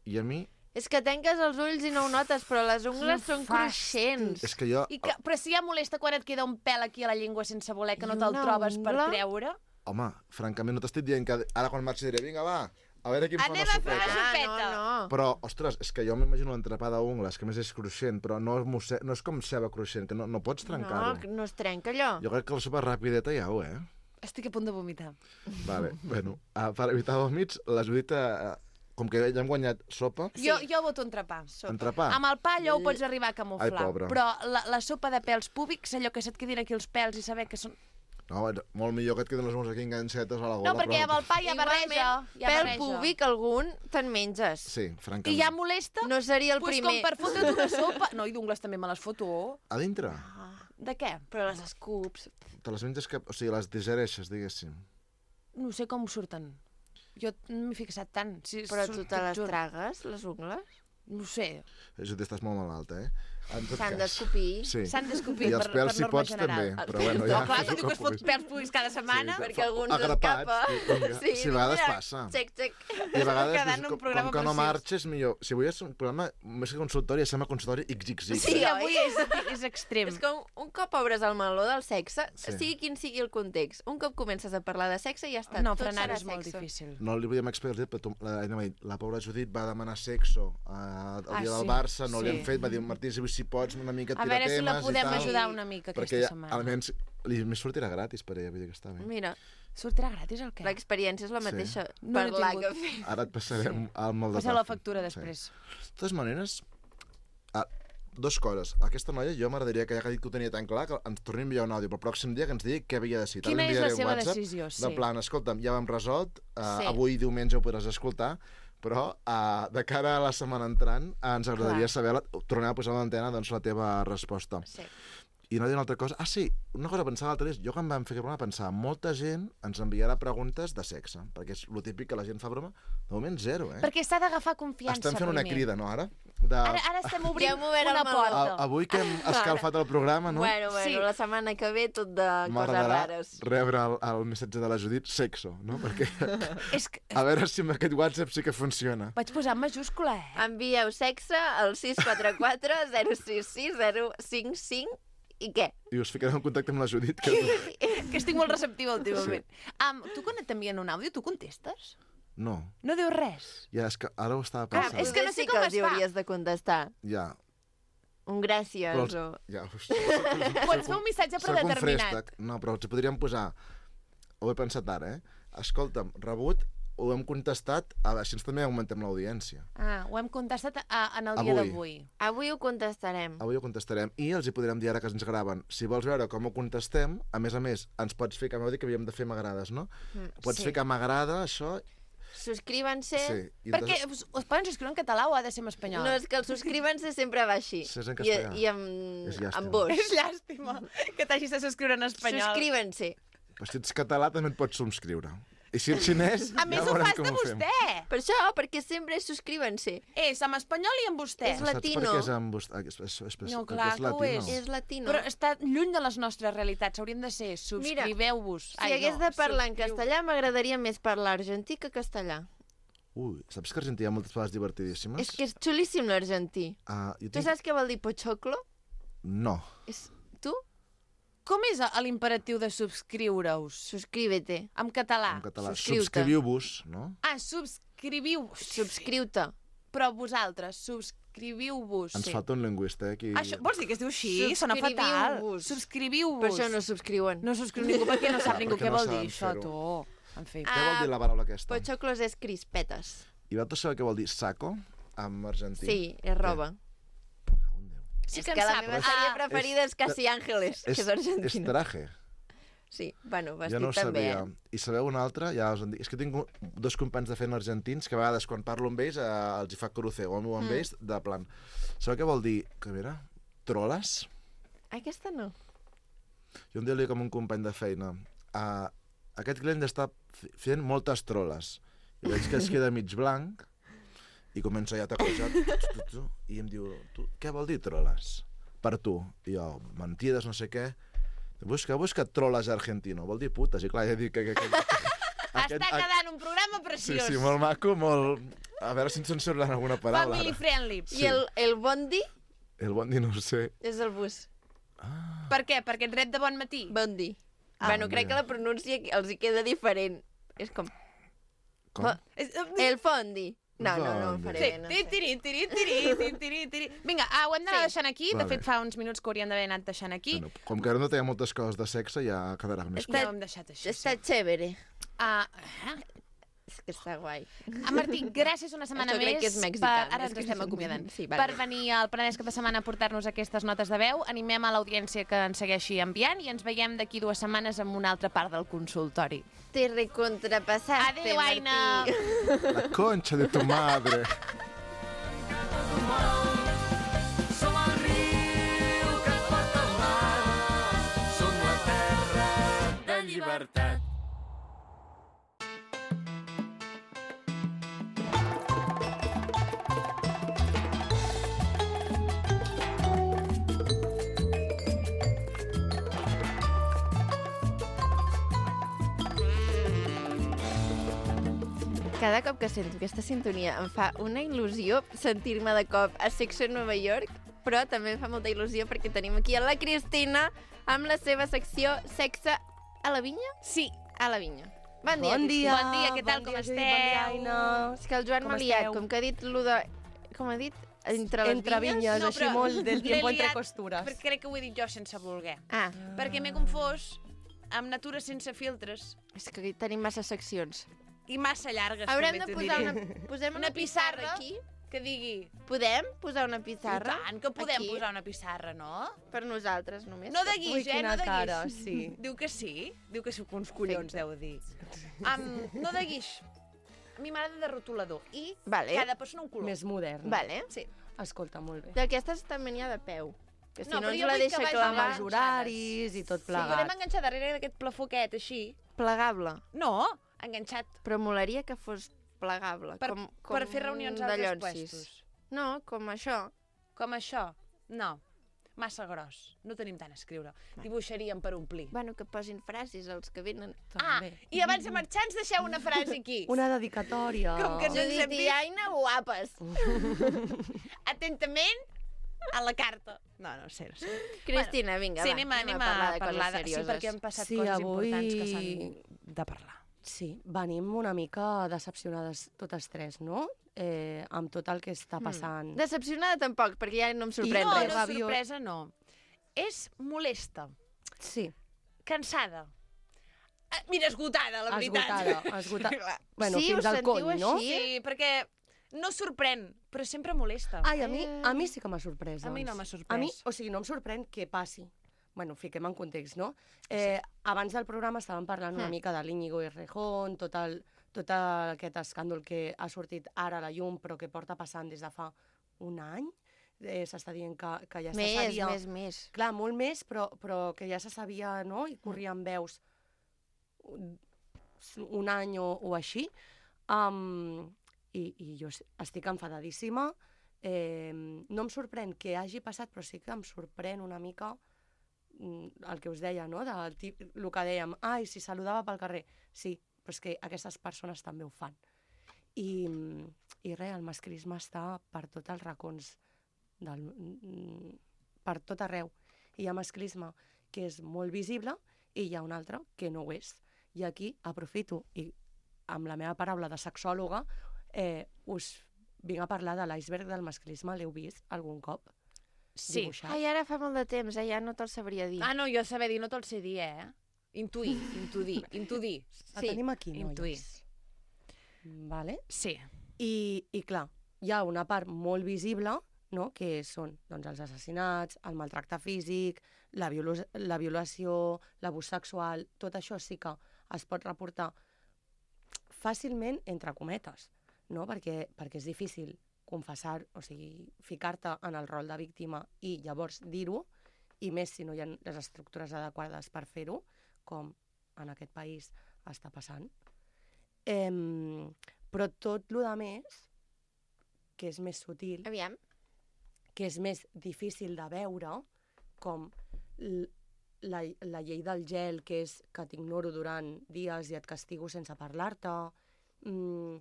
I a mi, És que tanques els ulls i no ho notes, però les ungles Quin són fàstic. cruixents. és que jo... I que, però si ja molesta quan et queda un pèl aquí a la llengua sense voler, que no I te'l una trobes per ungla? treure... Home, francament, no t'estic dient que ara quan marxi diré, vinga, va, a veure qui em fa Anem una a fer sopeta. una Ah, sopeta. no, no. Però, ostres, és que jo m'imagino l'entrepà d'ungles, que a més és cruixent, però no és, mosse... no és com ceba cruixent, que no, no pots trencar-ho. No, no es trenca allò. Jo crec que la sopa rapideta ja ho, eh? Estic a punt de vomitar. Vale, bueno, uh, per evitar vòmits, la Judita, uh, com que ja hem guanyat sopa, Sí. Jo, jo voto entrepà. entrepà. Amb el pa allò ho pots arribar a camuflar. Ai, pobra. Però la, la sopa de pèls púbics, allò que se't quedin aquí els pèls i saber que són... No, bueno, molt millor que et queden les ungles aquí enganxetes a la gola. No, perquè amb però... el pa hi ha barreja. Hi ha Pèl barreja. púbic, algun, te'n menges. Sí, I francament. ja molesta? No seria el pues primer. com per fotre't una sopa... No, i d'ungles també me les foto. A dintre? De què? Però les escups... Te les menges que... O sigui, les digereixes, diguéssim. No sé com surten. Jo no m'he fixat tant. Si Però surt- tu te les juro. tragues, les ungles? No ho sé. Judit, estàs molt malalta, eh? En tot S'han cas. d'escopir. Sí. S'han d'escopir I els per, pels, per si norma pots, general. també. Però bueno, ja... No, clar, no diu que es fot puguis. pèls públics cada setmana. Sí, Perquè algú ens agrapats, escapa. vinga. Sí, Sí, a vegades mira, passa. Xec, xec. I a vegades, Quedant doncs, un com, programa com que no preciós. marxes, millor... Si avui és un programa, més que consultori, es sembla consultori ics ics ics. Sí, Sí, avui oi? és, és extrem. És com un cop obres el meló del sexe, Sí. sigui quin sigui el context, un cop comences a parlar de sexe ja està. No, tot frenar serà és molt sexo. difícil. No li podíem explicar, però tu- la, la, la pobra Judit va demanar sexo uh, el Ah, dia sí, del Barça, no sí. li han fet, va dir, Martí, si, si pots una mica A tirar veure si temes la i podem tal. ajudar una mica Perquè aquesta ja, setmana. almenys li, li sortirà gratis per ella, vull dir que està bé. Mira, Sortirà gratis el què? l'experiència és la Sí. mateixa. No n'he Parlar tingut. que fer. Ara et passarem el molt de Passa la factura després. De totes maneres, ah, dos coses. Aquesta noia, jo m'agradaria que ja que ha dit que ho tenia tan clar, que ens torni a enviar un àudio pel pròxim dia que ens digui què havia decidit. Quina Ara li és la enviaré un seva WhatsApp decisió? Sí. De plan, escolta'm, ja ho hem resolt, uh, Sí. avui diumenge ho podràs escoltar, però uh, de cara a la setmana entrant uh, ens agradaria Clar. saber, la, tornar a posar a l'antena doncs, la teva resposta. Sí. I no dir una altra cosa. Ah, sí, una cosa que pensava l'altre dia, jo quan vam fer aquest programa pensava, molta gent ens enviarà preguntes de sexe, perquè és lo típic que la gent fa broma. De moment, zero, eh? Perquè s'ha d'agafar confiança Estem fent una primer. crida, no, ara? De... Ara, ara estem obrint Ja hem obert una el meló. porta. A, avui que hem escalfat el programa, no? Bueno, bueno, Sí. la setmana que ve tot de coses M'agradarà rares. rebre el, el missatge de la Judit, sexo, no? Perquè És que... a veure si amb aquest WhatsApp sí que funciona. Vaig posar en majúscula, eh? Envieu sexe al sis quatre quatre zero sis sis zero cinc cinc i què? I us ficaré en contacte amb la Judit, que... Que estic molt receptiva últimament. Sí. Um, tu quan t'envien un àudio, tu contestes? No, No dius res? ja, és que ara ho estava Ah, pensant. és que no sé sí com que es els hi fa. hauries de contestar. Ja, Un gràcies però... Els... o... Ja, us... Pots fer un missatge Soc un predeterminat. préstec. No, però els hi podríem posar... Ho he pensat ara, eh? Escolta'm, rebut, ho hem contestat, a veure, així ens també augmentem l'audiència. Ah, ho hem contestat a, en el dia Avui. d'avui. Avui ho contestarem. Avui ho contestarem i els hi podrem dir ara que ens graven. Si vols veure com ho contestem, a més a més, ens pots fer, que m'heu dit que havíem de fer m'agrades, no? Mm, Pots sí. fer que m'agrada, això... Subscríbanse. Sí. I Perquè entonces- us, us poden subscriure en català o ha de ser en espanyol? No, és que el subscríbanse sempre va així. Sí, és en I, castellà. i amb, És llàstima. amb vos. És llàstima que t'hagis de subscriure en espanyol. Subscríbanse. Però si ets català també et pots subscriure. I si ets xinès, A més, ja ho veurem fas com de ho fem. vostè. Per això, perquè sempre és subscribanse. És en espanyol i en vostè. És la- Saps per latino. què és amb vostè? És, és, és, és, No, perquè clar és que ho latino. és. És latino. Però està lluny de les nostres realitats. Haurien de ser subscriveu-vos. Si hagués de parlar en castellà, m'agradaria més parlar argentí que castellà. Ui, saps que a Argentina hi ha moltes paraules divertidíssimes? És que és xulíssim l'argentí. Uh, jo Tu tinc... saps què vol dir pochoclo? No. És... Tu? Com és l'imperatiu de subscriure-us? Suscríbete. En català. En català. subscriu-te. Subscriviu-vos, no? Ah, subscriviu-vos. Subscriu-te. Però vosaltres, subscriviu-vos. Ens falta un lingüista, eh? Aquí... Això, vols dir que es diu així? Sona fatal. Subscriviu-vos. Subscriviu-vos. Per això no subscriuen. No subscriu ningú, perquè no sap Perquè ningú què no vol saben dir això, fer-ho. tu. En fi. Què vol Ah, dir la paraula aquesta? Pochoclos és crispetes. I vosaltres sabeu què vol dir saco en argentí? Sí, és roba. Cago en Déu. Sí és que que en la sap. meva Ah, sèrie preferida és Casi Ángeles, que és És argentina. traje. Sí, bueno, Jo vestit no ho també, sabia. eh? I sabeu una altra? Ja us en dic. És que tinc un- dos companys de feina argentins que a vegades quan parlo amb ells eh, els hi fa crucego amb Mm. ells, de plan. Sabeu què vol dir? Que mira, troles? Aquesta no. Jo un dia li dic com un company de feina, uh, aquest client està f- fent moltes troles. I veig que es queda mig blanc i comença ja a tacojar, tu, tu, tu, i em diu, tu, què vol dir troles? Per tu. I jo, mentides, no sé què. Busca, busca troles argentino. Vol dir putes. I clar, ja dic que... que, que Està quedant un programa Sí, preciós. sí, molt maco, molt... A veure si ens censuren alguna paraula. Family ara. friendly. Sí. I el, el bondi El bondi no ho sé. és el bus. Per què? Perquè et rep de bon matí? Bondi. Ah, bueno, crec mira. que la pronúncia els hi queda diferent. És com... Com? Bo- És- El fondi. No, no, no, ho Bondi. faré Sí. bé, no Tiri, sé. tiri, tiri, tiri, tiri, tiri, tiri. Vinga, ah, ho hem d'anar Sí. deixant aquí. De Vale. fet, fa uns minuts que hauríem d'haver anat deixant aquí. Bueno, com que ara no té moltes coses de sexe, ja quedarà més... Està- Ja ho hem deixat així. Està Sí. chévere. Ah, És que està guai. ah, Martí, gràcies una setmana Això crec més que és mexicà, per... Ara més ens que estem és- acomiadant. Sí, vale. Per venir al Penedès Cap de Setmana a portar-nos aquestes notes de veu. Animem a l'audiència que ens segueixi enviant i ens veiem d'aquí dues setmanes amb una altra part del consultori. Te recontrapasaste, Adéu, Aina. Martí. La concha de tu madre. Som el riu que et porta al mar. Som la terra de llibertat. Cada cop que sento aquesta sintonia em fa una il·lusió sentir-me de cop a Sexo en Nova York, però també em fa molta il·lusió perquè tenim aquí a la Cristina amb la seva secció Sexe a la vinya? Sí. A la vinya. Bon dia, Bon dia. Bon dia, què tal, bon com dia, Judit, esteu? Bon dia, Aina. És que el Joan Com m'ha liat, esteu? com que ha dit lo de... Com ha dit? Entre les Entre vinyes? vinyes, No, així però molt del l'he tiempo entre liat costures. Perquè crec que ho he dit jo sense voler. Ah, Perquè m'he confós amb natura sense filtres és que aquí tenim massa seccions. i massa llargues, Haurem també de t'ho posar diré. una... Posem una, Una pissarra pissarra aquí? que digui... Podem posar una pissarra? I tant, que podem aquí? posar una pissarra, no? Per nosaltres, només. No de Ui, guix, eh? quina No de guix. cara, sí. Diu que sí. Diu que sí, que uns collons deu dir. Um, no de guix. A mi m'agrada de rotulador. I Vale. cada persona un color. Més modern. Vale. Sí. Escolta, molt bé. D'aquestes també n'hi ha de peu. Que si No, no, però ens jo la vull que deixa vagi clavar... Amb els horaris i tot Sí, podem plegat. enganxar darrere d'aquest plafó aquest, així. Plegable. No, enganxat. Però molaria que fos plegable. Per, com, com per fer reunions a de altres llonsis. puestos. No, com això. Com això. No. Massa gros. No tenim tant a escriure. Dibuixaríem per omplir. Bueno, que posin frases els que venen. Ah, També. i abans de marxar ens deixeu una frase aquí. Una dedicatòria. Com que no ens hem Judit i vist. Aina, guapes. Atentament a la carta. No, no sé, no sé. Cristina, vinga, Sí, va. anem, a- anem a parlar de parlar coses de... Sí, serioses. perquè han passat Sí, coses avui- importants que s'han de parlar. Sí, venim una mica decepcionades totes tres, no? Eh, amb tot el que està passant. Decepcionada tampoc, perquè ja no em sorprèn no, res. no, Rabiós. sorpresa no. És molesta, Sí, cansada. Ah, mira, esgotada, la veritat. esgotada. esgotada. Bueno, Sí, fins us al sentiu cony, no? així? Sí, perquè no sorprèn, però sempre molesta. Ai, a mi, a mi sí que m'ha sorprès. A mi doncs. no m'ha sorprès. A mi, o sigui, no em sorprèn que passi. Bueno, fiquem en context, no? Eh, abans del programa estàvem parlant una Mm. mica de l'Íñigo i Rejón, tot, el, tot aquest escàndol que ha sortit ara a la llum, però que porta passant des de fa un any. Eh, S'està dient que, que ja se Més, sabia... més, més. Clar, molt més, però, però que ja se sabia, no? I corrien veus un, un any o, o així. Um, i, I jo estic enfadadíssima. Eh, no em sorprèn que hagi passat, però sí que em sorprèn una mica mm, el que us deia, no? Del tip, el que dèiem, ai, si saludava pel carrer. Sí, però és que aquestes persones també ho fan. I, i res, el masclisme està per tots els racons, del, mm, per tot arreu. Hi ha masclisme que és molt visible i hi ha un altre que no ho és. I aquí aprofito, i amb la meva paraula de sexòloga, eh, us vinc a parlar de l'iceberg del masclisme. L'heu vist algun cop? Sí. Dibuixat? Ai, ara fa molt de temps, eh? Ja no te'l sabria dir. Ah, no, jo saber dir, no te'l sé dir, eh? Intuir, intuir, intuir. La tenim aquí, intuir. noies. Vale? Sí. I, I clar, hi ha una part molt visible, no?, que són doncs, els assassinats, el maltracte físic, la, violu la violació, l'abús sexual, tot això sí que es pot reportar fàcilment entre cometes, no? perquè, perquè és difícil confessar, o sigui, ficar-te en el rol de víctima i llavors dir-ho, i més si no hi ha les estructures adequades per fer-ho, com en aquest país està passant. Eh, però tot el que més, que és més sutil, Aviam. que és més difícil de veure, com la, la llei del gel, que és que t'ignoro durant dies i et castigo sense parlar-te, mm,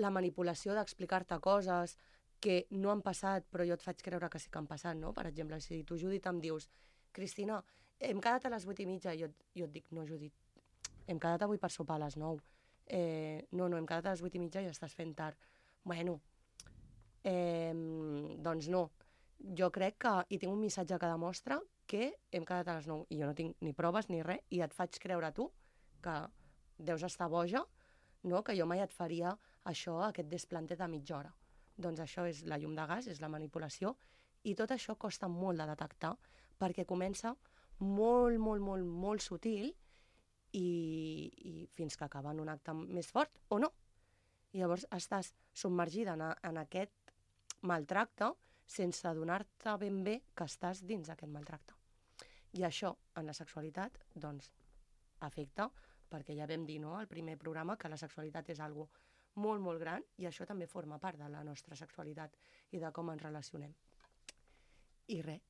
la manipulació d'explicar-te coses que no han passat, però jo et faig creure que sí que han passat, no? Per exemple, si tu, Judit, em dius Cristina, hem quedat a les vuit i mitja, i jo, jo et dic, no, Judit, hem quedat avui per sopar a les nou. Eh, no, no, hem quedat a les vuit i mitja i estàs fent tard. Bueno, eh, doncs no. Jo crec que hi tinc un missatge que demostra que hem quedat a les nou i jo no tinc ni proves ni res i et faig creure tu que deus estar boja, no? Que jo mai et faria això, aquest desplante de mitja hora. Doncs això és la llum de gas, és la manipulació, i tot això costa molt de detectar perquè comença molt, molt, molt, molt sutil i, i fins que acaba en un acte més fort o no. I llavors estàs submergida en, a, en aquest maltracte sense adonar-te ben bé que estàs dins d'aquest maltracte. I això, en la sexualitat, doncs, afecta, perquè ja vam dir, no?, al primer programa, que la sexualitat és algo molt, molt gran, i això també forma part de la nostra sexualitat i de com ens relacionem. I res,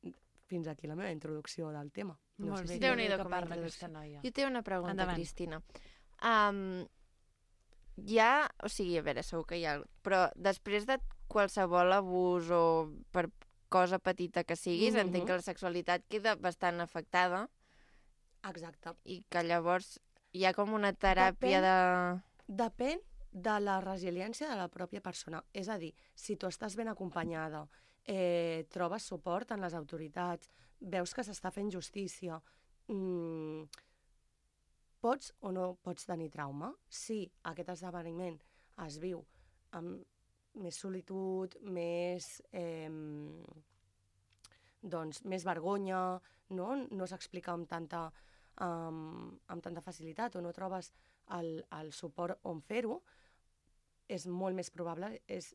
fins aquí la meva introducció del tema. No Molt sé bé, si... Déu-n'hi-do que com a parla introducció. aquesta noia. Jo tinc una pregunta, Endavant. Cristina. Um, hi ha... O sigui, a veure, segur que hi ha... Però després de qualsevol abús o per cosa petita que siguis, Mhm. entenc que la sexualitat queda bastant afectada Exacte. i que llavors hi ha com una teràpia Depèn- de... Depèn de la resiliència de la pròpia persona. És a dir, si tu estàs ben acompanyada, eh, trobes suport en les autoritats, veus que s'està fent justícia, mm, pots o no pots tenir trauma? Si aquest esdeveniment es viu amb més solitud, més, eh, doncs, més vergonya, no, no s'explica amb tanta, um, amb tanta facilitat o no trobes el, el suport on fer-ho, és molt més probable, és,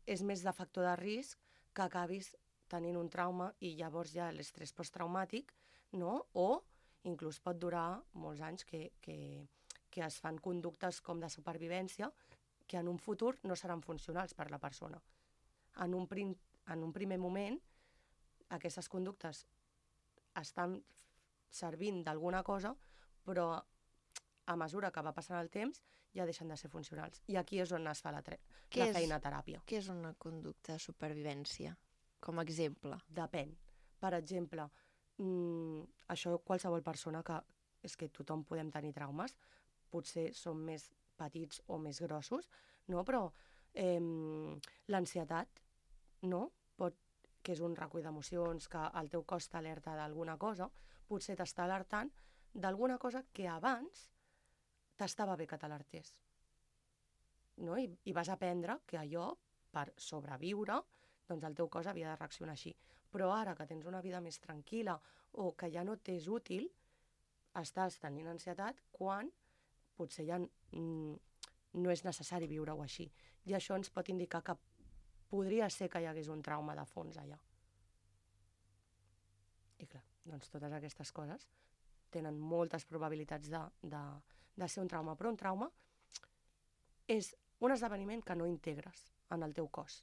és més de factor de risc que acabis tenint un trauma i llavors ja l'estrès posttraumàtic, no? O inclús pot durar molts anys que, que, que es fan conductes com de supervivència que en un futur no seran funcionals per la persona. En un, prim, en un primer moment, aquestes conductes estan servint d'alguna cosa, però a mesura que va passant el temps ja deixen de ser funcionals. I aquí és on es fa la, tre- Què la és- feina teràpia. Què és una conducta de supervivència? Com a exemple. Depèn. Per exemple, mm, això qualsevol persona que... És que tothom podem tenir traumes, potser són més petits o més grossos, no? Però eh, l'ansietat, no? Pot, que és un recull d'emocions, que el teu cos t'alerta d'alguna cosa, potser t'està alertant d'alguna cosa que abans t'estava bé que t'alertés. No? I, I vas aprendre que allò, per sobreviure, doncs el teu cos havia de reaccionar així. Però ara que tens una vida més tranquil·la o que ja no t'és útil, estàs tenint ansietat quan potser ja mm, no és necessari viure-ho així. I això ens pot indicar que podria ser que hi hagués un trauma de fons allà. I clar, doncs totes aquestes coses tenen moltes probabilitats de, de, de ser un trauma, però un trauma és un esdeveniment que no integres en el teu cos,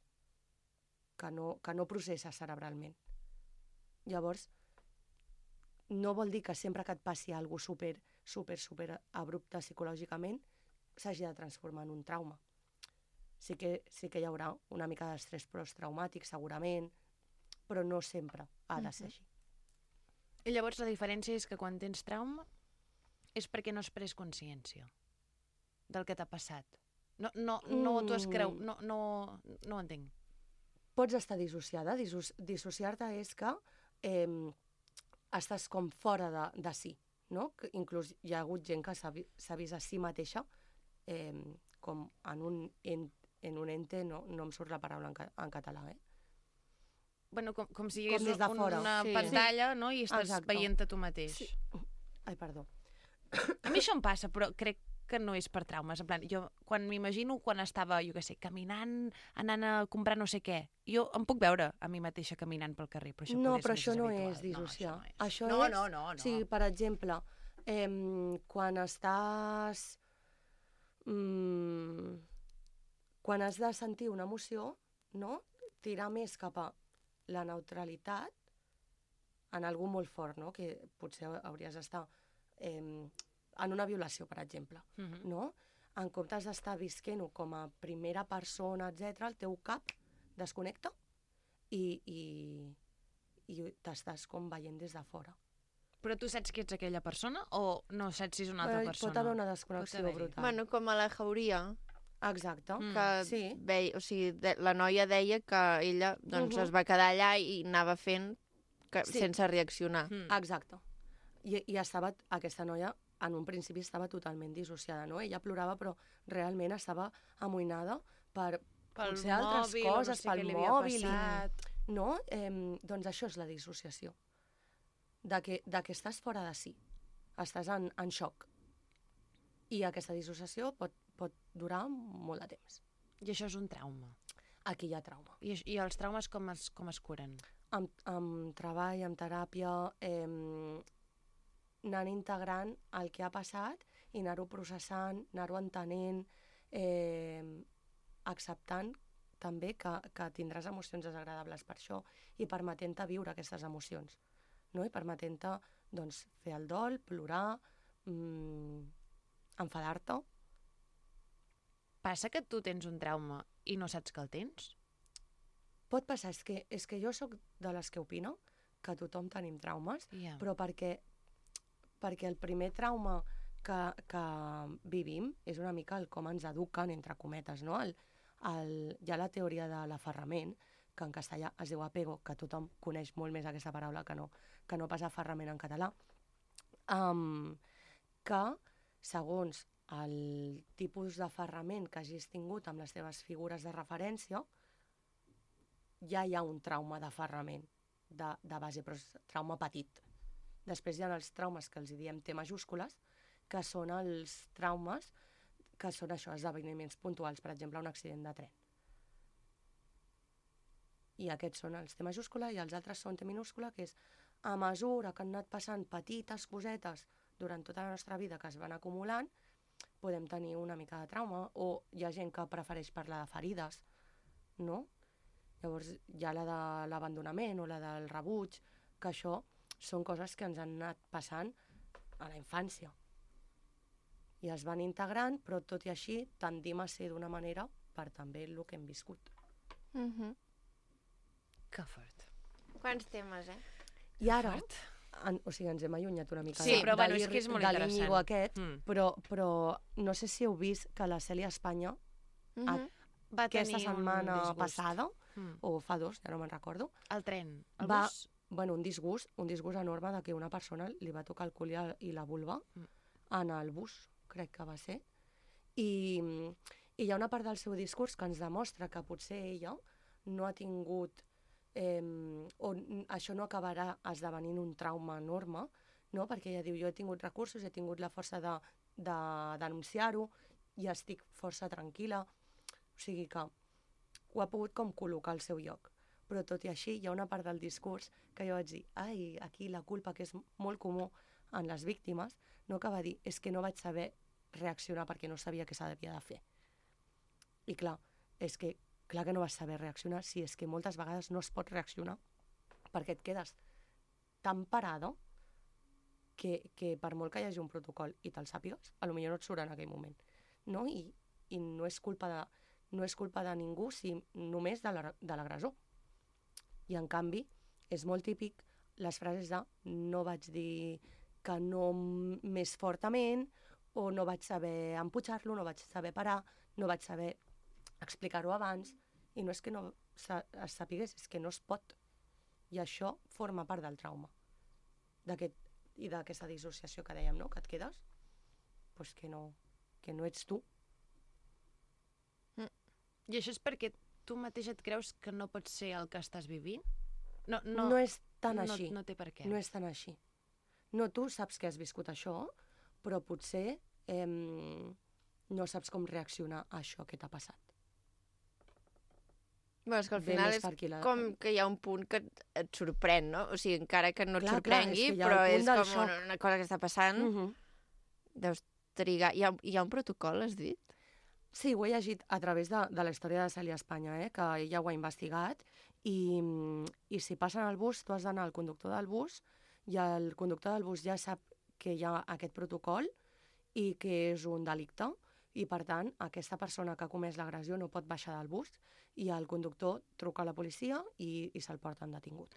que no, que no processes cerebralment. Llavors, no vol dir que sempre que et passi alguna cosa super, super, super abrupte psicològicament s'hagi de transformar en un trauma. Sí que, sí que hi haurà una mica d'estrès posttraumàtic, segurament, però no sempre ha de ser així. I llavors la diferència és que quan tens trauma és perquè no has pres consciència del que t'ha passat. No, no, no t'ho has creu... No, no, no ho entenc. Pots estar dissociada. Disso Dissociar-te és que eh, estàs com fora de, de si, no? Que inclús hi ha hagut gent que s'ha vi vist a si mateixa eh, com en un, en, en un ente, no, no em surt la paraula en, ca en català, eh? Bueno, com, com si hi Com hagués des de un, fora. una Sí. pantalla, no? I estàs Exacte. veient a tu mateix. Sí. Ai, perdó. A mi això em passa, però crec que no és per traumes. En plan, jo quan m'imagino quan estava, jo què sé, caminant, anant a comprar no sé què, jo em puc veure a mi mateixa caminant pel carrer, però això No, poder però ser això més no habitual. és dissociar. No, això no és. Això no, és... no, no, no. Sí, per exemple, eh, quan estàs... Mm, quan has de sentir una emoció, no? Tirar més cap a la neutralitat en algú molt fort, no? Que potser hauries d'estar eh, en una violació, per exemple, Mhm. no? En comptes d'estar visquent-ho com a primera persona, etcètera, el teu cap desconnecta i, i, i t'estàs com veient des de fora. Però tu saps que ets aquella persona o no saps si és una altra Però persona? pot haver una desconnexió haver-hi. brutal. Bueno, com a la Jauria, Exacte. Mm. que Sí. veia, o sigui, de, la noia deia que ella doncs, Mhm. es va quedar allà i anava fent que, Sí. sense reaccionar. Mm. Exacte. I, I estava, aquesta noia, en un principi estava totalment dissociada, no? Ella plorava, però realment estava amoïnada per Pel potser altres mòbil, o no coses, sé pel què li havia mòbil. i- passat. No? Eh, doncs això és la dissociació. De que, de que estàs fora de si. Estàs en, en xoc. I aquesta dissociació pot, pot durar molt de temps. I això és un trauma. Aquí hi ha trauma. I, I els traumes com es, com es curen? Amb, amb treball, amb teràpia, eh, anant integrant el que ha passat i anar-ho processant, anar-ho entenent, eh, acceptant també que, que tindràs emocions desagradables per això i permetent-te viure aquestes emocions, no? I permetent-te doncs, fer el dol, plorar, mm, enfadar-te, Passa que tu tens un trauma i no saps que el tens? Pot passar, és que, és que jo sóc de les que opino que tothom tenim traumes, Yeah. però perquè, perquè el primer trauma que, que vivim és una mica el com ens eduquen, entre cometes, no? El, el, hi ha la teoria de l'aferrament, que en castellà es diu apego, que tothom coneix molt més aquesta paraula que no, que no pas aferrament en català, um, que segons el tipus d'aferrament que hagis tingut amb les teves figures de referència, ja hi ha un trauma d'aferrament de, de base, però és trauma petit. Després hi ha els traumes que els hi diem T majúscules, que són els traumes que són això, esdeveniments puntuals, per exemple, un accident de tren. I aquests són els T majúscula i els altres són T minúscula, que és a mesura que han anat passant petites cosetes durant tota la nostra vida que es van acumulant, podem tenir una mica de trauma, o hi ha gent que prefereix parlar de ferides, no? Llavors hi ha la de l'abandonament o la del rebuig, que això són coses que ens han anat passant a la infància. I es van integrant, però tot i així tendim a ser d'una manera per també el que hem viscut. Mhm. Que fort. Quants temes, eh? I ara, en, o sigui, ens hem allunyat una mica Sí, de, però bueno, de és que és molt de interessant. l'Íñigo aquest, Mm. però, però no sé si heu vist que la Cèlia Espanya Mhm. a- Va aquesta tenir un setmana disgust. passada, Mm. o fa dos, ja no me'n recordo, El tren, el va, bus... bueno, un disgust, un disgust enorme de que una persona li va tocar el cul i el- i la vulva Mm. en el bus, crec que va ser. I, I hi ha una part del seu discurs que ens demostra que potser ella no ha tingut, eh, o n- això no acabarà esdevenint un trauma enorme, no? Perquè ella diu, jo he tingut recursos, he tingut la força de, de denunciar-ho i estic força tranquil·la. O sigui que ho ha pogut com col·locar al seu lloc. Però tot i així hi ha una part del discurs que jo vaig dir, ai, aquí la culpa, que és molt comú en les víctimes, no, que va dir, és que no vaig saber reaccionar perquè no sabia què s'havia de fer. I clar, és que clar que no vas saber reaccionar si és que moltes vegades no es pot reaccionar perquè et quedes tan parada que, que per molt que hi hagi un protocol i te'l sàpigues, potser no et surt en aquell moment. No? I, i no, és culpa de, no és culpa de ningú, si només de la- de l'agressor. I en canvi, és molt típic les frases de no vaig dir que no m- més fortament, o no vaig saber empujar-lo, no vaig saber parar, no vaig saber explicar-ho abans, i no és que no sa- es sapigués, és que no es pot. I això forma part del trauma. D'aquest, i d'aquesta dissociació que dèiem, no? Que et quedes, pues que no, que no ets tu. I això és perquè tu mateix et creus que no pots ser el que estàs vivint? No, no, No és tan no, així. No té per què. No és tan així. No, tu saps que has viscut això, però potser eh, no saps com reaccionar a això que t'ha passat. Bueno, és que al Ve final més és per aquí la- com que hi ha un punt que et, et sorprèn, no? O sigui, encara que no et Clar, clar, sorprengui, és que hi ha el però punt és del com xoc. una, una cosa que està passant. Mm -hmm. Deus trigar... Hi ha, hi ha un protocol, has dit? Sí, ho he llegit a través de, de la història de Cèlia Espanya, eh, que ella ho ha investigat, i, i si passen al bus, tu has d'anar al conductor del bus, i el conductor del bus ja sap que hi ha aquest protocol i que és un delicte, i per tant aquesta persona que ha comès l'agressió no pot baixar del bus, i el conductor truca a la policia i, i se'l porten detingut.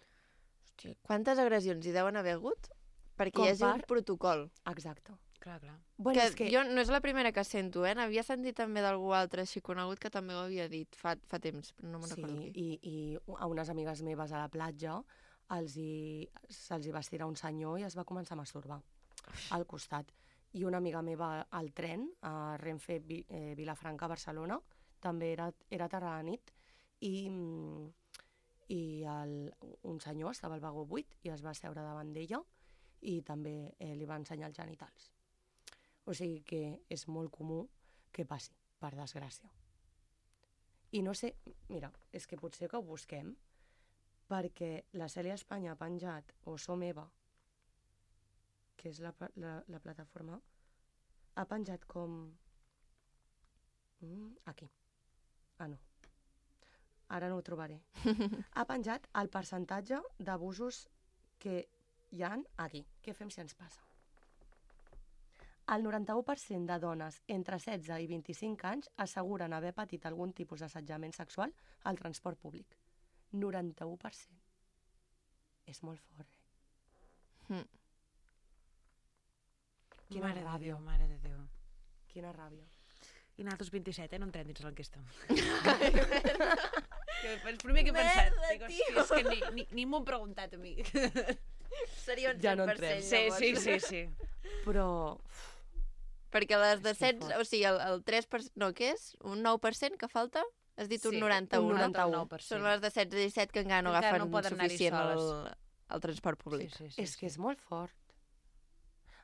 Hòstia, quantes agressions hi deuen haver hagut perquè Com hi hagi per- un protocol? Exacte. Clar, clar. Bueno, que, és que... jo no és la primera que sento, eh? N'havia sentit també d'algú altre així conegut que també ho havia dit fa, fa temps, però no me'n Sí, recordo qui. i, i a unes amigues meves a la platja els hi, se'ls hi va estirar un senyor i es va començar a masturbar al costat. I una amiga meva al tren, a Renfe Vi, eh, Vilafranca, Barcelona, també era, era tarda a la nit, i, mm, i el, un senyor estava al vagó buit i es va seure davant d'ella i també eh, li va ensenyar els genitals. O sigui que és molt comú que passi, per desgràcia. I no sé, mira, és que potser que ho busquem, perquè la Cèlia Espanya ha penjat, o Som Eva, que és la, pla- la, la plataforma, ha penjat com... Mm, aquí. Ah, no. Ara no ho trobaré. Ha penjat el percentatge d'abusos que hi han aquí. Què fem si ens passa? el noranta-u per cent de dones entre setze i vint-i-cinc anys asseguren haver patit algun tipus d'assetjament sexual al transport públic. noranta-u per cent. És molt fort, eh? Mm. Quina Mare de ràbia. Déu, mare de Déu. Quina ràbia. I nosaltres vint-i-set, eh? No entrem dins l'enquesta. El primer que he pensat. Merda, Dic, hòstia, és que ni, ni, ni m'ho han preguntat a mi. Seria un Ja cent no per entrem. cent, Sí, llavors. sí, sí, sí. Però... Perquè les de És que setze, fort. o sigui, el, el tres per cent, no, què és? Un nou per cent que falta? Has dit un Sí, noranta-u, un no? noranta-u. nou per cent. Són les de setze i disset que encara no Encara agafen no poden anar-hi suficient el, soles. el transport públic. Sí, sí, sí, és que és molt fort.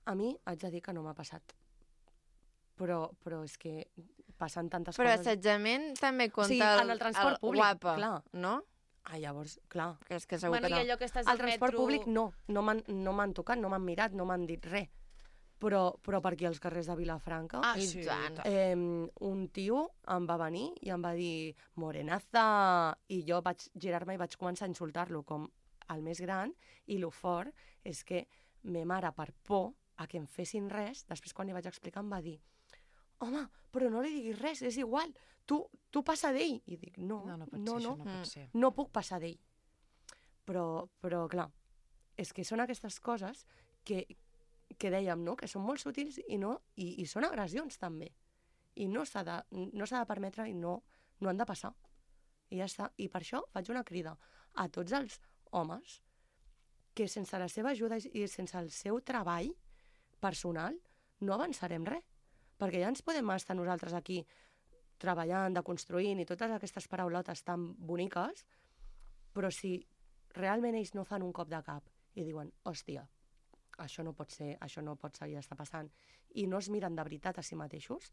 A mi haig de dir que no m'ha passat. Però, però és que passen tantes Però coses... assetjament també compta Sí, el, en el transport públic, guapa, clar. no? Ah, llavors, clar. Que és que segur Bueno, que i no. allò que estàs Al al transport metro... públic no, no m'han no m'han tocat, no m'han mirat, no m'han dit res. Però, però per aquí als carrers de Vilafranca, Ah, I sí, tant. tant. eh, un tio em va venir i em va dir morenaza, i jo vaig girar-me i vaig començar a insultar-lo com el més gran, i lo fort és que me mare, per por a que em fessin res, després quan li vaig explicar em va dir home, però no li diguis res, és igual, tu, tu passa d'ell. I dic, no, No, no pot no, ser, no, això no Mm. pot ser. no puc passar d'ell. Però, però, clar, és que són aquestes coses que, que dèiem, no?, que són molt sutils i, no, i, i són agressions, també. I no s'ha de, no s'ha de permetre i no, no han de passar. I ja està. I per això faig una crida a tots els homes que sense la seva ajuda i sense el seu treball personal no avançarem res. Perquè ja ens podem estar nosaltres aquí treballant, deconstruint i totes aquestes paraulotes tan boniques, però si realment ells no fan un cop de cap i diuen, hòstia, això no pot ser, això no pot seguir estar passant, i no es miren de veritat a si mateixos,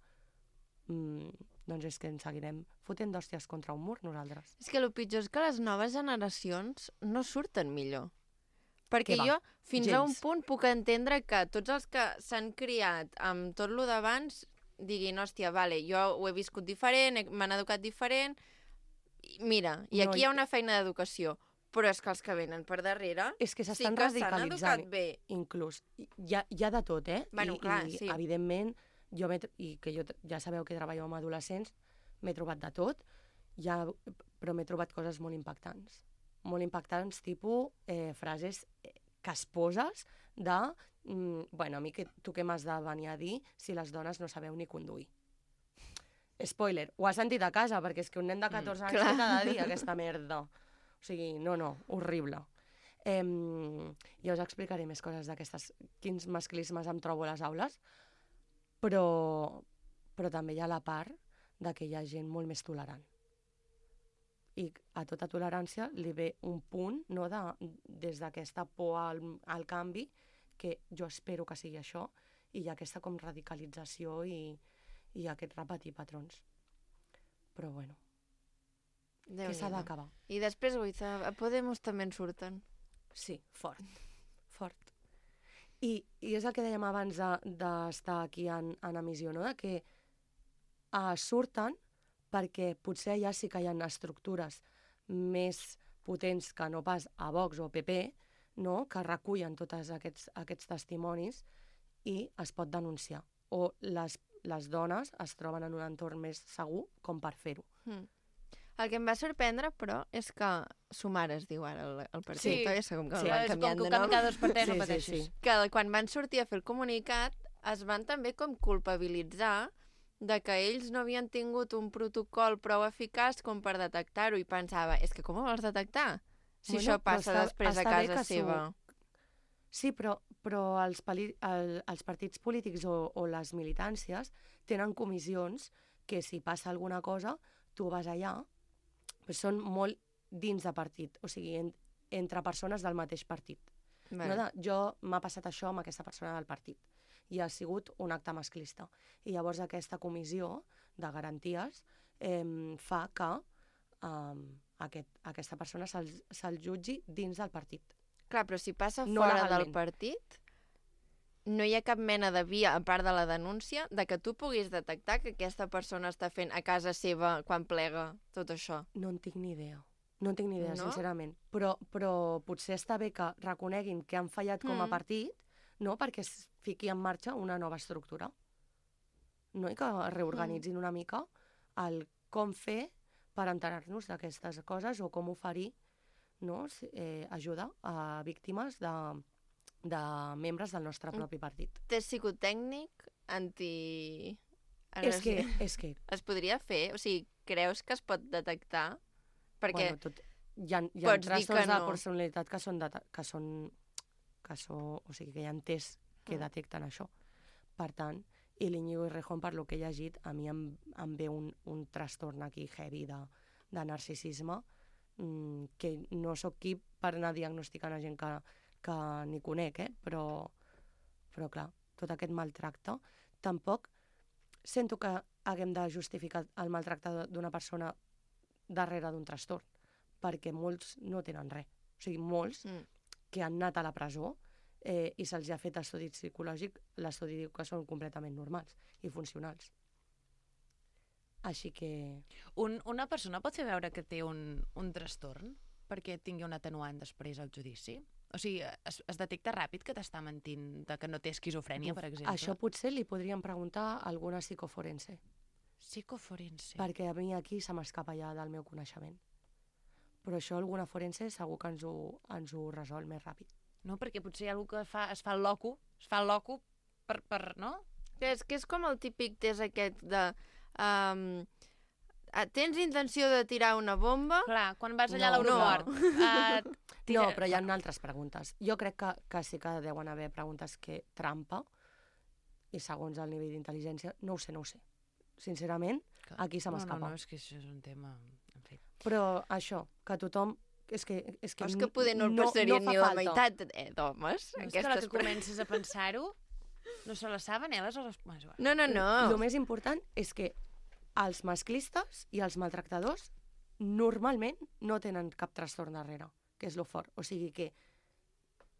mmm, doncs és que ens seguirem fotent d'hòsties contra un mur nosaltres. És que el pitjor és que les noves generacions no surten millor. Perquè Què va? jo, fins a un Gens. punt, puc entendre que tots els que s'han criat amb tot lo d'abans diguin, hòstia, vale, jo ho he viscut diferent, he- m'han educat diferent, i mira, i No, aquí i- hi ha una feina d'educació, però és que els que venen per darrere És que sí s'estan que s'han radicalitzant, educat bé. inclús. Hi ha, hi ha de tot, eh? Bueno, I, clar, i, sí. evidentment, jo m'he tr- i que jo t- ja sabeu que treballo amb adolescents, m'he trobat de tot, ja, però m'he trobat coses molt impactants. Molt impactants, tipus eh, frases eh, casposes de mm, bueno, a mi que, tu què m'has de venir a dir si les dones no sabeu ni conduir? Spoiler, ho has sentit a casa, perquè és que un nen de catorze anys clar. què t'ha de dir aquesta merda. O sigui, no, no, horrible. Eh, ja us explicaré més coses d'aquestes, quins masclismes em trobo a les aules, però, però també hi ha la part de que hi ha gent molt més tolerant. I a tota tolerància li ve un punt, no, de, des d'aquesta por al, al canvi, que jo espero que sigui això, i hi ha aquesta com radicalització i, i aquest repetir patrons. Però bueno, que s'ha d'acabar. I després, Goiza, a Podemos també en surten. Sí, fort, fort. I, i és el que dèiem abans de- d'estar aquí en, en emissió, no? De que uh, surten perquè potser allà sí que hi ha estructures més potents que no pas a Vox o a P P, no? Que recullen tots aquests, aquests testimonis i es pot denunciar. O les, les dones es troben en un entorn més segur com per fer-ho. Mm. El que em va sorprendre, però, és que Sumar es diu ara el, el partit. Sí. Ja sé com que Sí, el van és com canviant que ho de canvi nom. cada dos per tres, Sí, no sí, pateixis. sí. Que quan van sortir a fer el comunicat es van també com culpabilitzar de que ells no havien tingut un protocol prou eficaç com per detectar-ho, i pensava, és que com ho vols detectar? Si Bueno, això però passa està- després a està bé casa que s'ho- seva. Sí, però, però els, pali, el, els partits polítics o, o les militàncies tenen comissions que si passa alguna cosa, tu vas allà, però són molt dins de partit, o sigui, en, entre persones del mateix partit. Vale. No de, jo m'ha passat això amb aquesta persona del partit i ha sigut un acte masclista. I llavors aquesta comissió de garanties eh, fa que eh, aquest, aquesta persona se'l se jutgi dins del partit. Clar, però si passa No fora del legalment. partit, no hi ha cap mena de via, a part de la denúncia, de que tu puguis detectar que aquesta persona està fent a casa seva quan plega tot això. No en tinc ni idea. No en tinc ni idea, No? sincerament. Però, però potser està bé que reconeguin que han fallat com a Mm. partit, no? Perquè es fiqui en marxa una nova estructura. No? I que reorganitzin una mica el com fer per enterar-nos d'aquestes coses o com oferir, no? eh, ajuda a víctimes de, de membres del nostre propi partit. Test psicotècnic, anti... És que, és que... Es podria fer? O sigui, creus que es pot detectar? Perquè bueno, tot, hi ha, hi ha pots dir que trastorns de no. personalitat que són, de, que són, que són... O sigui, que hi ha tests que Mm. detecten això. Per tant, i l'Iñigo Errejón, per lo que he llegit, a mi em, em ve un, un trastorn aquí heavy de, de narcisisme, mmm, que no sóc qui per anar diagnosticant a gent que, que ni conec, eh? però, però clar, tot aquest maltracte, tampoc sento que haguem de justificar el maltracte d'una persona darrere d'un trastorn, perquè molts no tenen res. O sigui, molts Mm. que han anat a la presó eh, i se'ls ha fet estudi psicològic, l'estudi diu que són completament normals i funcionals. Així que... Un, una persona pot fer veure que té un, un trastorn perquè tingui un atenuant després al judici? O sigui, es, es detecta ràpid que t'està mentint, de que no té esquizofrènia, per exemple? Això potser li podríem preguntar a alguna psicoforense, Psicoforense. perquè a mi aquí se m'escapa ja del meu coneixement. Però això alguna forense segur que ens ho, ens ho resol més ràpid. No, perquè potser hi ha algú que fa, es fa el loco, es fa el loco per, per no? Que és, que és com el típic test aquest de... Um, tens intenció de tirar una bomba? Clar, quan vas allà No, a l'aeroport... no. Uh, No, però hi ha altres preguntes. Jo crec que, que sí que deuen haver preguntes que trampa, i segons el nivell d'intel·ligència, no ho sé, no ho sé. Sincerament, Clar. aquí se m'escapa. No, no, no, és que això és un tema... En fi. Però això, que tothom... És que, és que, És que poder no el passarien fa ni la falta. meitat eh, d'homes. No, és que a la que comences a pensar-ho, no se la saben, eh, les hores... No, no, no. El més important és que els masclistes i els maltractadors normalment no tenen cap trastorn darrere, que és lo fort. O sigui que,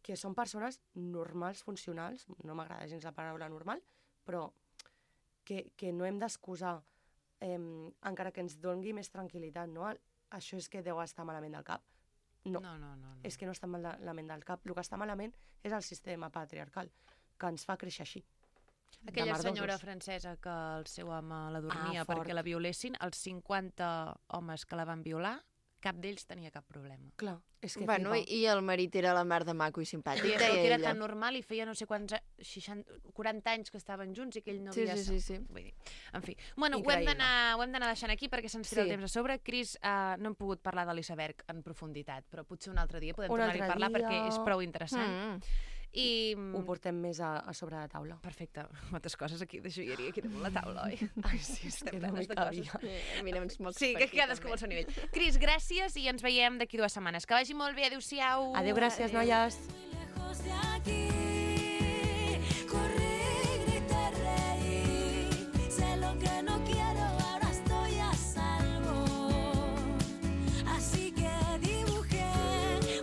que són persones normals, funcionals, no m'agrada gens la paraula normal, però que, que no hem d'excusar, eh, encara que ens doni més tranquil·litat, no? Això és que deu estar malament del cap. No, No, no, no. no. és que no està malament del cap. El que està malament és el sistema patriarcal, que ens fa créixer així. Aquella de merdosos. senyora francesa que el seu home la dormia Ah, fort. perquè la violessin, els cinquanta homes que la van violar, cap d'ells tenia cap problema. Clar, és que Bueno, i, flipa. i el marit era la mar de maco i simpàtic, I deia que era ella. tan normal i feia no sé quants, a- seixanta, quaranta anys que estaven junts i que ell no Sí, havia... sí, sí, sí. Vull dir, en fi. Bueno, ho hem Increïble. d'anar ho hem d'anar deixant aquí perquè se'ns tira Sí. el temps a sobre. Cris, uh, no hem pogut parlar de l'iceberg en profunditat, però potser un altre dia podem Un tornar-hi a altre parlar dia. perquè és prou interessant. Mm. I... Ho portem més a, a sobre de taula. Perfecte. Moltes coses aquí de joieria aquí damunt la taula, oi? Ai, sí, és que no plenes m'hi de cabia. Eh, mira, uns mocs Sí, per que aquí, cadascú també. al seu nivell. Cris, gràcies i ens veiem d'aquí dues setmanes. Que vagi molt bé, adéu-siau. Adéu, gràcies, noies. Lejos de aquí, corrí, grité, reí. Sé lo que no quiero, ahora estoy a salvo. Así que dibujé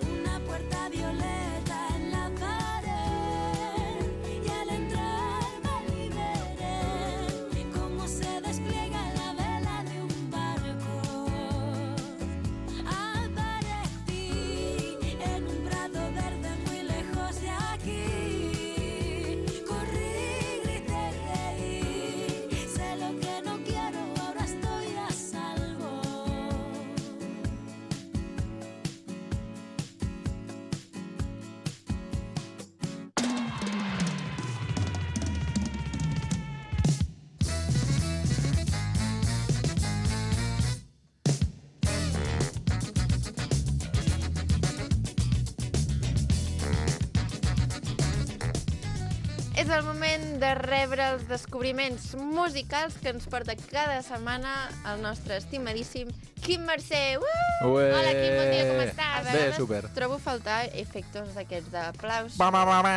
una puerta violeta en la pared. Y al entrar me liberé, como se despliega la vela de un barco. Aparecí en un prado verde muy lejos de aquí. Corrí, grité, reí. Sé lo que no quiero, ahora estoy a salvo. És el moment de rebre els descobriments musicals que ens porta cada setmana el nostre estimadíssim Quim Mercè. Uh! Ué! Hola, Quim, bon dia, com A estàs? Bé, vegades super. Trobo a faltar efectes d'aquests d'aplaus. Ba, ba, ba, ba.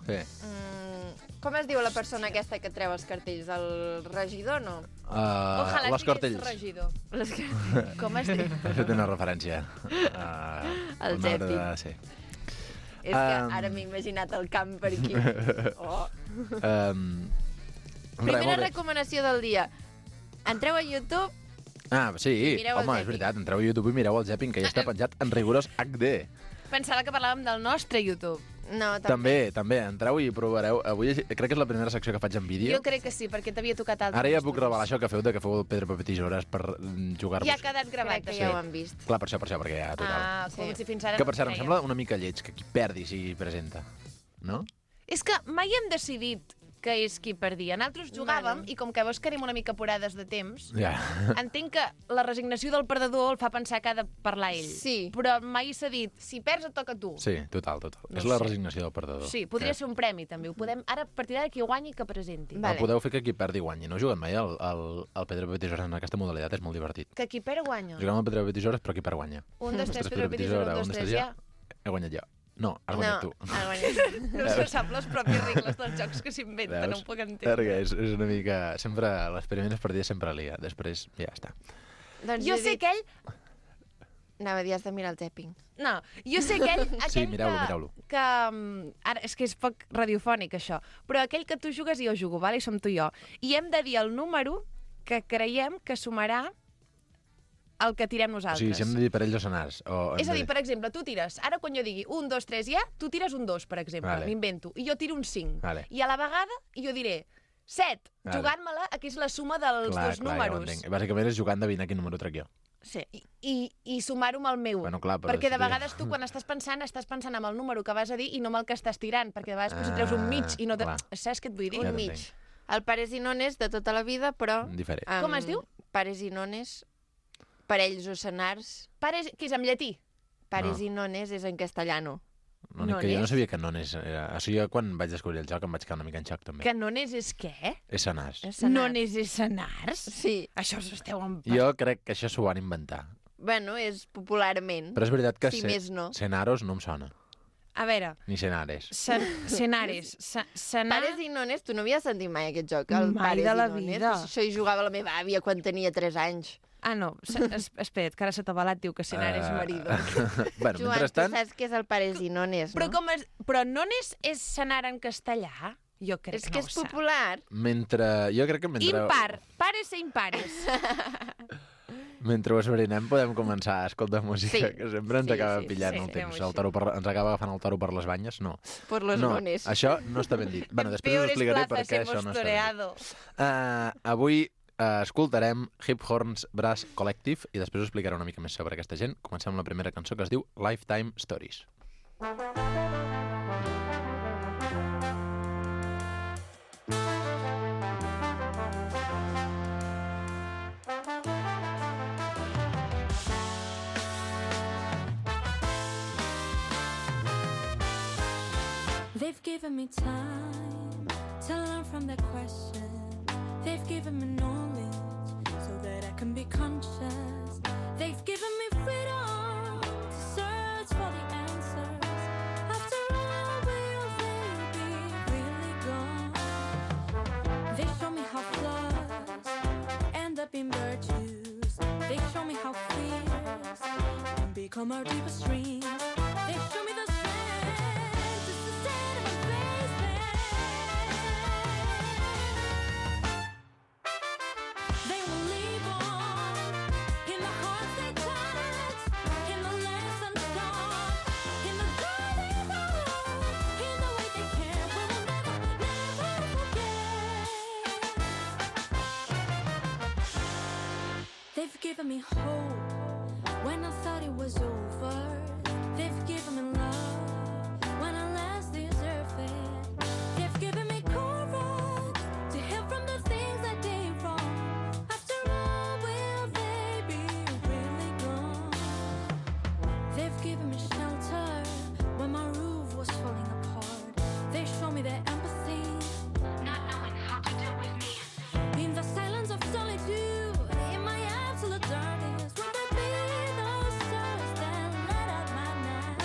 Sí. Sí. Mm, com es diu la persona aquesta que treu els cartells? El regidor, no? Uh, Ojalà les siguis cartells. regidor. Les... Com es diu? He fet una referència. Uh, El una Zepi. de- Sí. És que Um. ara m'he imaginat el camp per aquí. Oh. Um, Primera res, molt bé. recomanació del dia. Entreu a YouTube. Ah, sí, Mireu el home, és Zapping. veritat. Entreu a YouTube i mireu el Zapping, que ja està penjat en rigorós H D. Pensava que parlàvem del nostre YouTube. No, També, també, entreu i provareu. Avui crec que és la primera secció que faig en vídeo. Jo crec que sí, perquè t'havia tocat altres. Ara ja puc revelar això que feu de que feu el Pedra, Paper, Tisores per jugar-vos. Ja ha quedat gravat, Crec que això. ja ho han vist. Clar, per això, per això, perquè ja, total. Ah, com si fins ara Que no per cert, es em feia. sembla una mica lleig que qui perdi s'hi presenta. No? És que mai hem decidit que és qui perdia. Nosaltres jugàvem i com que veus que anem una mica apurades de temps, Ja. entenc que la resignació del perdedor el fa pensar que ha de parlar ell. Sí. Però mai s'ha dit, si perds et toca a tu. Sí, total, total. No és la sé. resignació del perdedor. Sí, podria Eh, ser un premi, també. Ho podem... Ara, a partir d'ara, qui guanyi, que presenti. El podeu fer que qui perdi guanyi. No he jugat mai al, al, al Pedra, Paper, Tisores en aquesta modalitat, és molt divertit. Que qui perd guanya. Juguem al Pedra, Paper, Tisores, però qui perd guanya. Un, dos, tres, Ostres, Pedra, Paper, Tisores, un, dos, tres, ja. He guanyat jo. No, has guanyat tu. has guanyat. No se sap les pròpies regles dels jocs que s'inventen, no ho puc entendre. Perquè és, és una mica... Sempre, les primeres partides sempre lia, després ja està. Doncs Jo he sé dit- que ell... Anava a dir, has de mirar el tapping. No, jo sé que ell... aquell Sí, mireu-lo, que, mireu-lo. Que, mm, ara, és que és poc radiofònic, això. Però aquell que tu jugues i jo jugo, vale? I som tu i jo. I hem de dir el número que creiem que sumarà el que tirem O nosaltres. sigui, si hem de dir parells o senars. O hem És a de dir, per exemple, tu tires, ara quan jo digui un, dos, tres, ja, tu tires un dos, per exemple, Vale. m'invento, i jo tiro un cinc. Vale. I a la vegada jo diré set, Vale. jugant-me-la, que és la suma dels clar, dos clar, números. Ja ho entenc. Bàsicament és jugant d'endevinar quin número trec jo. Sí. I, i, i sumar-ho amb el meu. Bueno, clar, però perquè de si té- vegades tu, quan estàs pensant, estàs pensant amb el número que vas a dir i no amb el que estàs tirant, perquè de vegades ah, si treus un mig i no... Te... clar. Saps què et vull dir? Ja Un mig. t'entenc. El pares i nones de tota la vida, però... Diferent. amb Com es diu? Pares i nones, parells o senars. Pares, que és en llatí? Pares No. i nones és en castellano. L'únic que jo no sabia que nones era... O sigui, jo quan vaig descobrir el joc em vaig quedar una mica en xoc, també. Que nones és què? És senars. És senars. Nones és senars? Sí. Això us esteu en... Jo crec que això s'ho van inventar. Bueno, és popularment. Però és veritat que Si se- més no. senaros no em sona. A veure, Ni senares. sen senares, se senar... Pares i nones, tu no havies sentit mai aquest joc? El Mai pares de la i nones? vida. Això hi jugava la meva àvia quan tenia tres anys. Ah, no, se es espera't, que ara sota balat diu que senares Eh, marido. bueno, Joan, mentrestant... tu saps què és el pares i nones, Però, no? com es... Però nones és senar en castellà? Jo crec És que que no és ho sap. popular. Mentre... Jo crec que mentre... Impar, pares e impares. Mentre ho esbrinem podem començar a escoltar música, Sí. que sempre ens Sí, acaba sí, pillant sí, el temps. fem-ho El toro per, ens acaba agafant el toro per les banyes? No. Per les no, nones. això no està ben dit. Bueno, després us Peores explicaré per plazas què hemos això no està ben toreado. dit. Uh, avui uh, escoltarem Hip Horns Brass Collective i després us explicaré una mica més sobre aquesta gent. Comencem amb la primera cançó que es diu Lifetime Stories. They've given me time to learn from their questions. They've given me knowledge so that I can be conscious. They've given me freedom to search for the answers. After all, will they be really gone? They show me how flaws end up in virtues. They show me how fears can become our deepest dreams. They show me the strength to sustain and face them. They will live on in the hearts they touch, in the lessons taught, in the joy they hold, in the way they care. We will never, never forget. They've given me hope when I thought it was over. They've given me love when I last deserved it. They've given me courage to heal from the things I did wrong. After all, will they be really gone? They've given me shelter when my roof was falling apart. They show me their empathy, not knowing how to deal with me. In the silence of solitude, in my absolute darkness, will there be those stars that light up my night?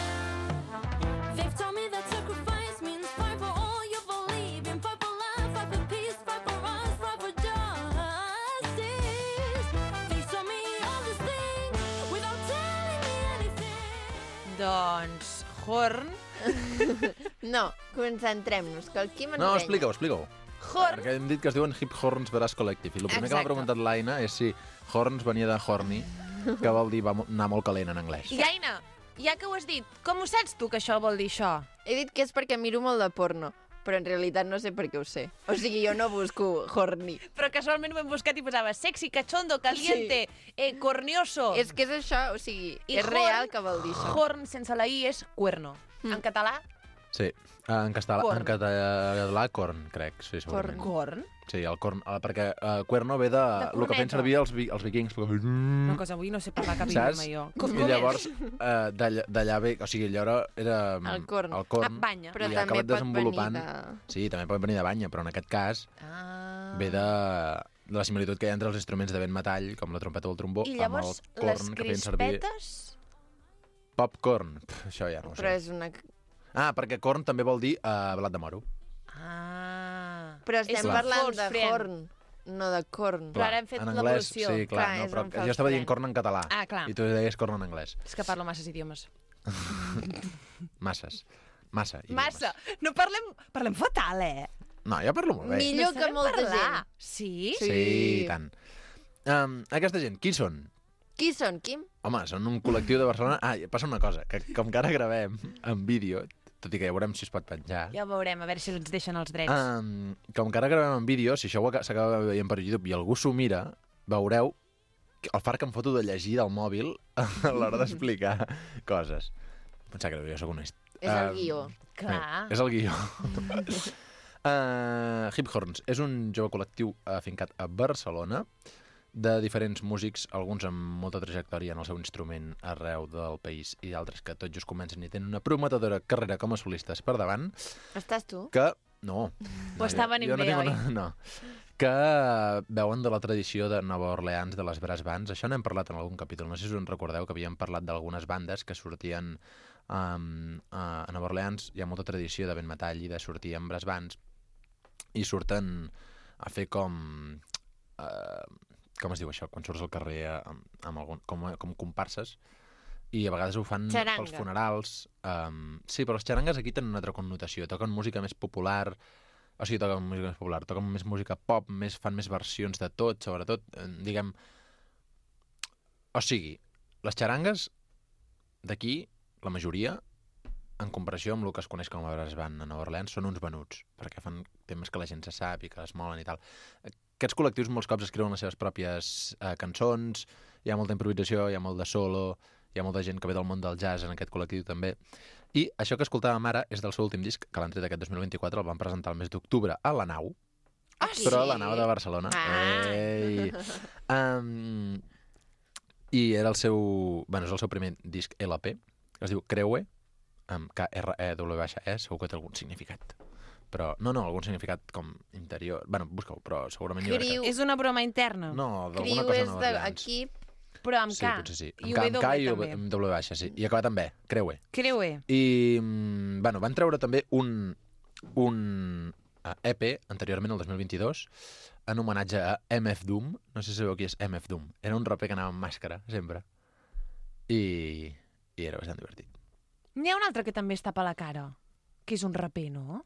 They've told me that sacrifice means fight for all you believe in, fight for love, fight for peace, fight for us, fight for justice. They told me all these things without telling me anything. Doncs, Horn... No, concentrem-nos, que el Quim ens No, renya. explica-ho, explica-ho. Horn... Perquè hem dit que es diuen Hip Horns Brass Collective. I el primer que m'ha Exacte. preguntat l'Aina és si Horns venia de horny, que vol dir va mo- anar molt calent en anglès. I Aina, ja que ho has dit, com ho saps tu que això vol dir això? He dit que és perquè miro molt de porno, però en realitat no sé per què ho sé. O sigui, jo no busco horny. Però casualment ho hem buscat i posava sexy, cachondo, caliente, sí. eh, cornioso. És que és això, o sigui, I és horn, real que vol dir això. Horn sense la i és cuerno. Mm. En català, Sí, en català, Corn. en català corn, crec, sí, segurament. corn. Sí, el corn, eh, perquè uh, cuerno ve de, De el que feien corneto. servir els, vi, els vikings. Una cosa, avui no sé parlar cap idioma, Saps? jo. I llavors, uh, d'allà ve, o sigui, allò era... era El corn. El corn Ah, banya. Però i ha també acabat pot desenvolupant... venir de... Sí, també pot venir de banya, però en aquest cas Ah. ve de, de la similitud que hi ha entre els instruments de vent metall, com la trompeta o el trombó, I amb el llavors, les corn que feien servir... crispetes... Popcorn, Pff, això ja no ho sé. Però és una... Ah, perquè corn també vol dir uh, blat de moro. Ah. Però estem És parlant false de friend. horn, no de corn. Però ara hem fet en anglès, l'evolució. sí, clar, Clar, no, és però un jo false estava dient friend. corn en català. Ah, clar. I tu deies corn en anglès. És que parlo masses idiomes. Masses. Massa. idiomes. Massa. No parlem... Parlem fatal, eh? No, jo parlo molt bé. Millor No que sabem molta parlar. gent. Sí? Sí, i tant. Um, aquesta gent, qui són? Qui són, Quim? Home, són un col·lectiu de Barcelona... Ah, i passa una cosa, que com que ara gravem en vídeo, tot i que ja veurem si es pot penjar, Ja ho veurem, a veure si ens deixen els drets. um, com que ara gravem en vídeo, si això ho aca- s'acaba veient per YouTube i algú s'ho mira, veureu que el fart que em foto de llegir del mòbil a l'hora d'explicar coses. Pensar que jo soc honest. És el Um, guió. Clar. És el guió. uh, Hip Horns és un jove col·lectiu afincat a Barcelona de diferents músics, alguns amb molta trajectòria en el seu instrument arreu del país i altres que tot just comencen i tenen una prometedora carrera com a solistes per davant, Estàs tu? que... No. Ho està venint jo no bé, tinc oi? una... No. Que veuen de la tradició de Nova Orleans, de les brass bands. Això n'hem parlat en algun capítol. No sé si us en recordeu, que havíem parlat d'algunes bandes que sortien um, a, a Nova Orleans. Hi ha molta tradició de vent metall i de sortir amb brass bands. I surten a fer com... Uh, com es diu això? Quan surts al carrer amb, amb algun, com, com comparses. I a vegades ho fan Xaranga. pels funerals. Um, sí, però els xarangues aquí tenen una altra connotació. Toquen música més popular... O sigui, toquen música més popular, toquen més música pop, més, fan més versions de tot, sobretot, eh, diguem... O sigui, les xarangues d'aquí, la majoria, en comparació amb el que es coneix com a brass band a Nova Orleans, són uns venuts, perquè fan temes que la gent se sap i que es molen i tal. Aquests col·lectius molts cops escriuen les seves pròpies eh, cançons, hi ha molta improvisació, hi ha molt de solo, hi ha molta gent que ve del món del jazz en aquest col·lectiu també. I això que escoltàvem ara és del seu últim disc, que l'han tret aquest dos mil vint-i-quatre, el van presentar el mes d'octubre a la Nau, Ah, però sí? a la Nau de Barcelona. Ah. Ei! Um, I era el seu... Bueno, és el seu primer disc L P, que es diu Creue, amb K R E W E, segur que té algun significat. Però, no, no, algun significat com interior. Bueno, busca-ho, però segurament hi haurà... Criu. És una broma interna? No, d'alguna Criu cosa és Nova Orleans. d'equip. Però amb Sí, K. potser sí. I Amb K, amb K i W també. amb W baixa, sí. I acabat amb B, Creue. Creue. I, mm, bueno, van treure també un, un uh, E P, anteriorment, el dos mil vint-i-dos, en homenatge a M F Doom. No sé si sabeu qui és M F Doom. Era un raper que anava amb màscara, sempre. I, i era bastant divertit. N'hi ha un altre que també es tapa la cara, que és un raper, no?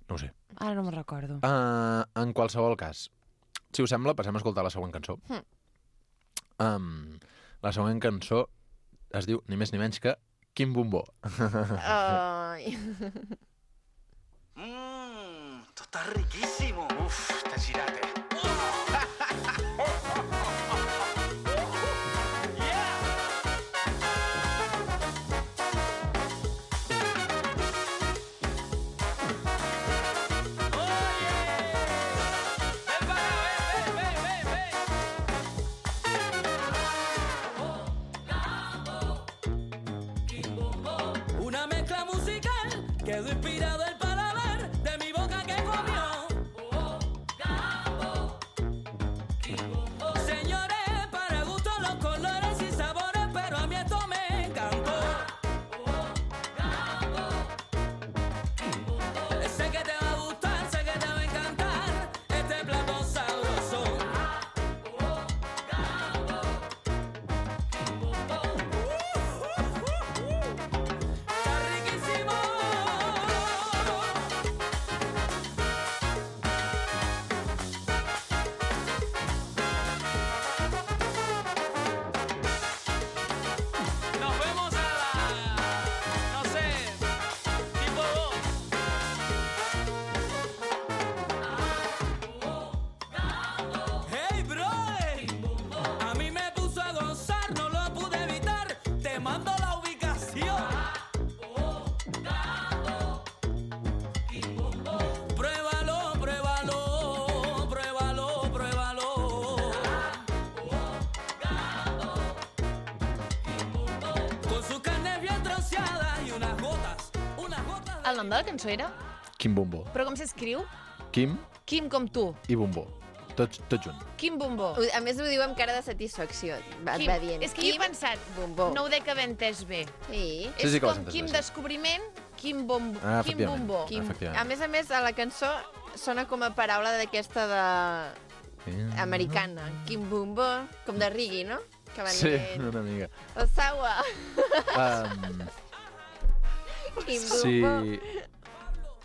No ho sé. Ara no me'n recordo. Uh, en qualsevol cas, si us sembla, passem a escoltar la següent cançó. Hm. Um, la següent cançó es diu ni més ni menys que Quim Bombó. Ai. Mmm, esto está riquísimo. Uf, este girate. Una mezcla musical quedó inspirado el paladar de mi boca que comió. El nom de la cançó era? Quim Bombo. Però com s'escriu? Quim Quim com tu. i Bombo. Tots, tots junt. Quim Bombo. Ho- A més, ho diu amb cara de satisfacció. Va, Quim. va dient. És que jo he Quim pensat, Bombó. no ho dec haver entès bé. Sí. Sí, sí que ho has és com entès Quim bé, sí. Descobriment, Quim Bombo. Ah, Quim efectivament. Bombó. Quim. Efectivament. A més a més, a la cançó sona com a paraula d'aquesta de... americana. Quim Bombo, com de Riggy, no? Que van Sí, dient... una mica. El Sawa. Um, Quim sí. Bombo.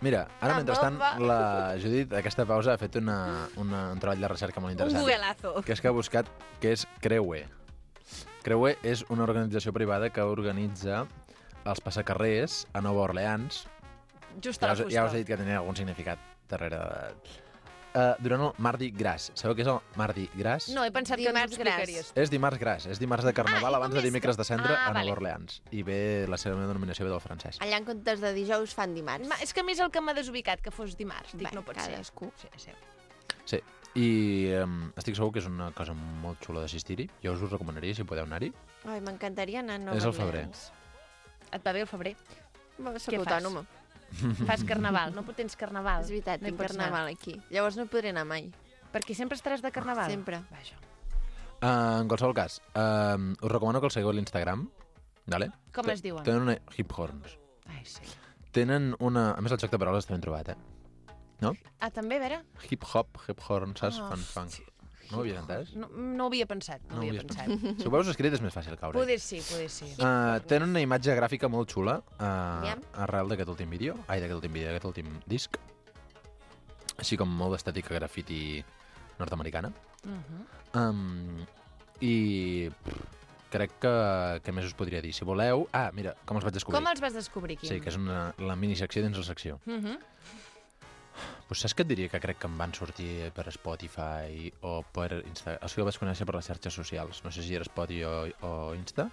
Mira, ara La mentrestant bomba. la Judit, aquesta pausa, ha fet una, una, un treball de recerca molt Un interessant. googleazo. Que és que ha buscat què és Creue. Creue és una organització privada que organitza els passacarrers a Nova Orleans. Just Ja a la us, fusta. ja us he dit que tenia algun significat darrere de... Uh, durant el Mardi Gras. Sabeu què és el Mardi Gras? No, he pensat que ens ho Dimarts gras. explicaries. És dimarts gras, és dimarts de carnaval Ah, i abans com de és dimecres de cendre Ah, a Nova vale. Orleans. I ve la seva denominació ve del francès. Allà en comptes de dijous fan dimarts. Ma, és que a mi és el que m'ha desubicat, que fos dimarts. Dic, Bé, no pot cadascú. ser. Sí, sí. Sí, i um, estic segur que és una cosa molt xula d'assistir-hi. Jo us ho recomanaria si podeu anar-hi. Ai, m'encantaria anar a Nova És al febrer. Orleans. Et va bé el febrer? Va, soc Què fas? autònoma. Fas carnaval, no tens carnaval. És veritat, no hi tinc pots carnaval aquí. Llavors no podré anar mai. Anar. Perquè sempre estaràs de carnaval? Sempre. Vaja. Uh, en qualsevol cas, uh, us recomano que el seguiu a l'Instagram. Vale? Com Te- es diuen? Tenen una... Hip Horns. Ai, sí. Tenen una... A més, el joc de paraules està ben trobat, eh? No? Ah, també, a veure? Hip Hop, Hip Horn, saps? Ah, Fun Funk. No ho havies entès? No, no ho havia pensat, no, No ho ho havia havies pensat. Si ho veus escrit és més fàcil caure. Poder sí, poder sí. Uh, tenen una imatge gràfica molt xula uh, Aviam. arrel d'aquest últim vídeo, ai, d'aquest últim vídeo, d'aquest últim disc, així com molt d'estètica grafiti nord-americana. Uh -huh. Um, I pff, crec que, que més us podria dir. Si voleu... Ah, mira, com els vaig descobrir. Com els vas descobrir, Quim? Sí, que és una, la minisecció dins la secció. Uh -huh. Pues saps què et diria? Que crec que em van sortir per Spotify o per Insta. O sigui, el vaig conèixer per les xarxes socials. No sé si era Spotify o, o Insta,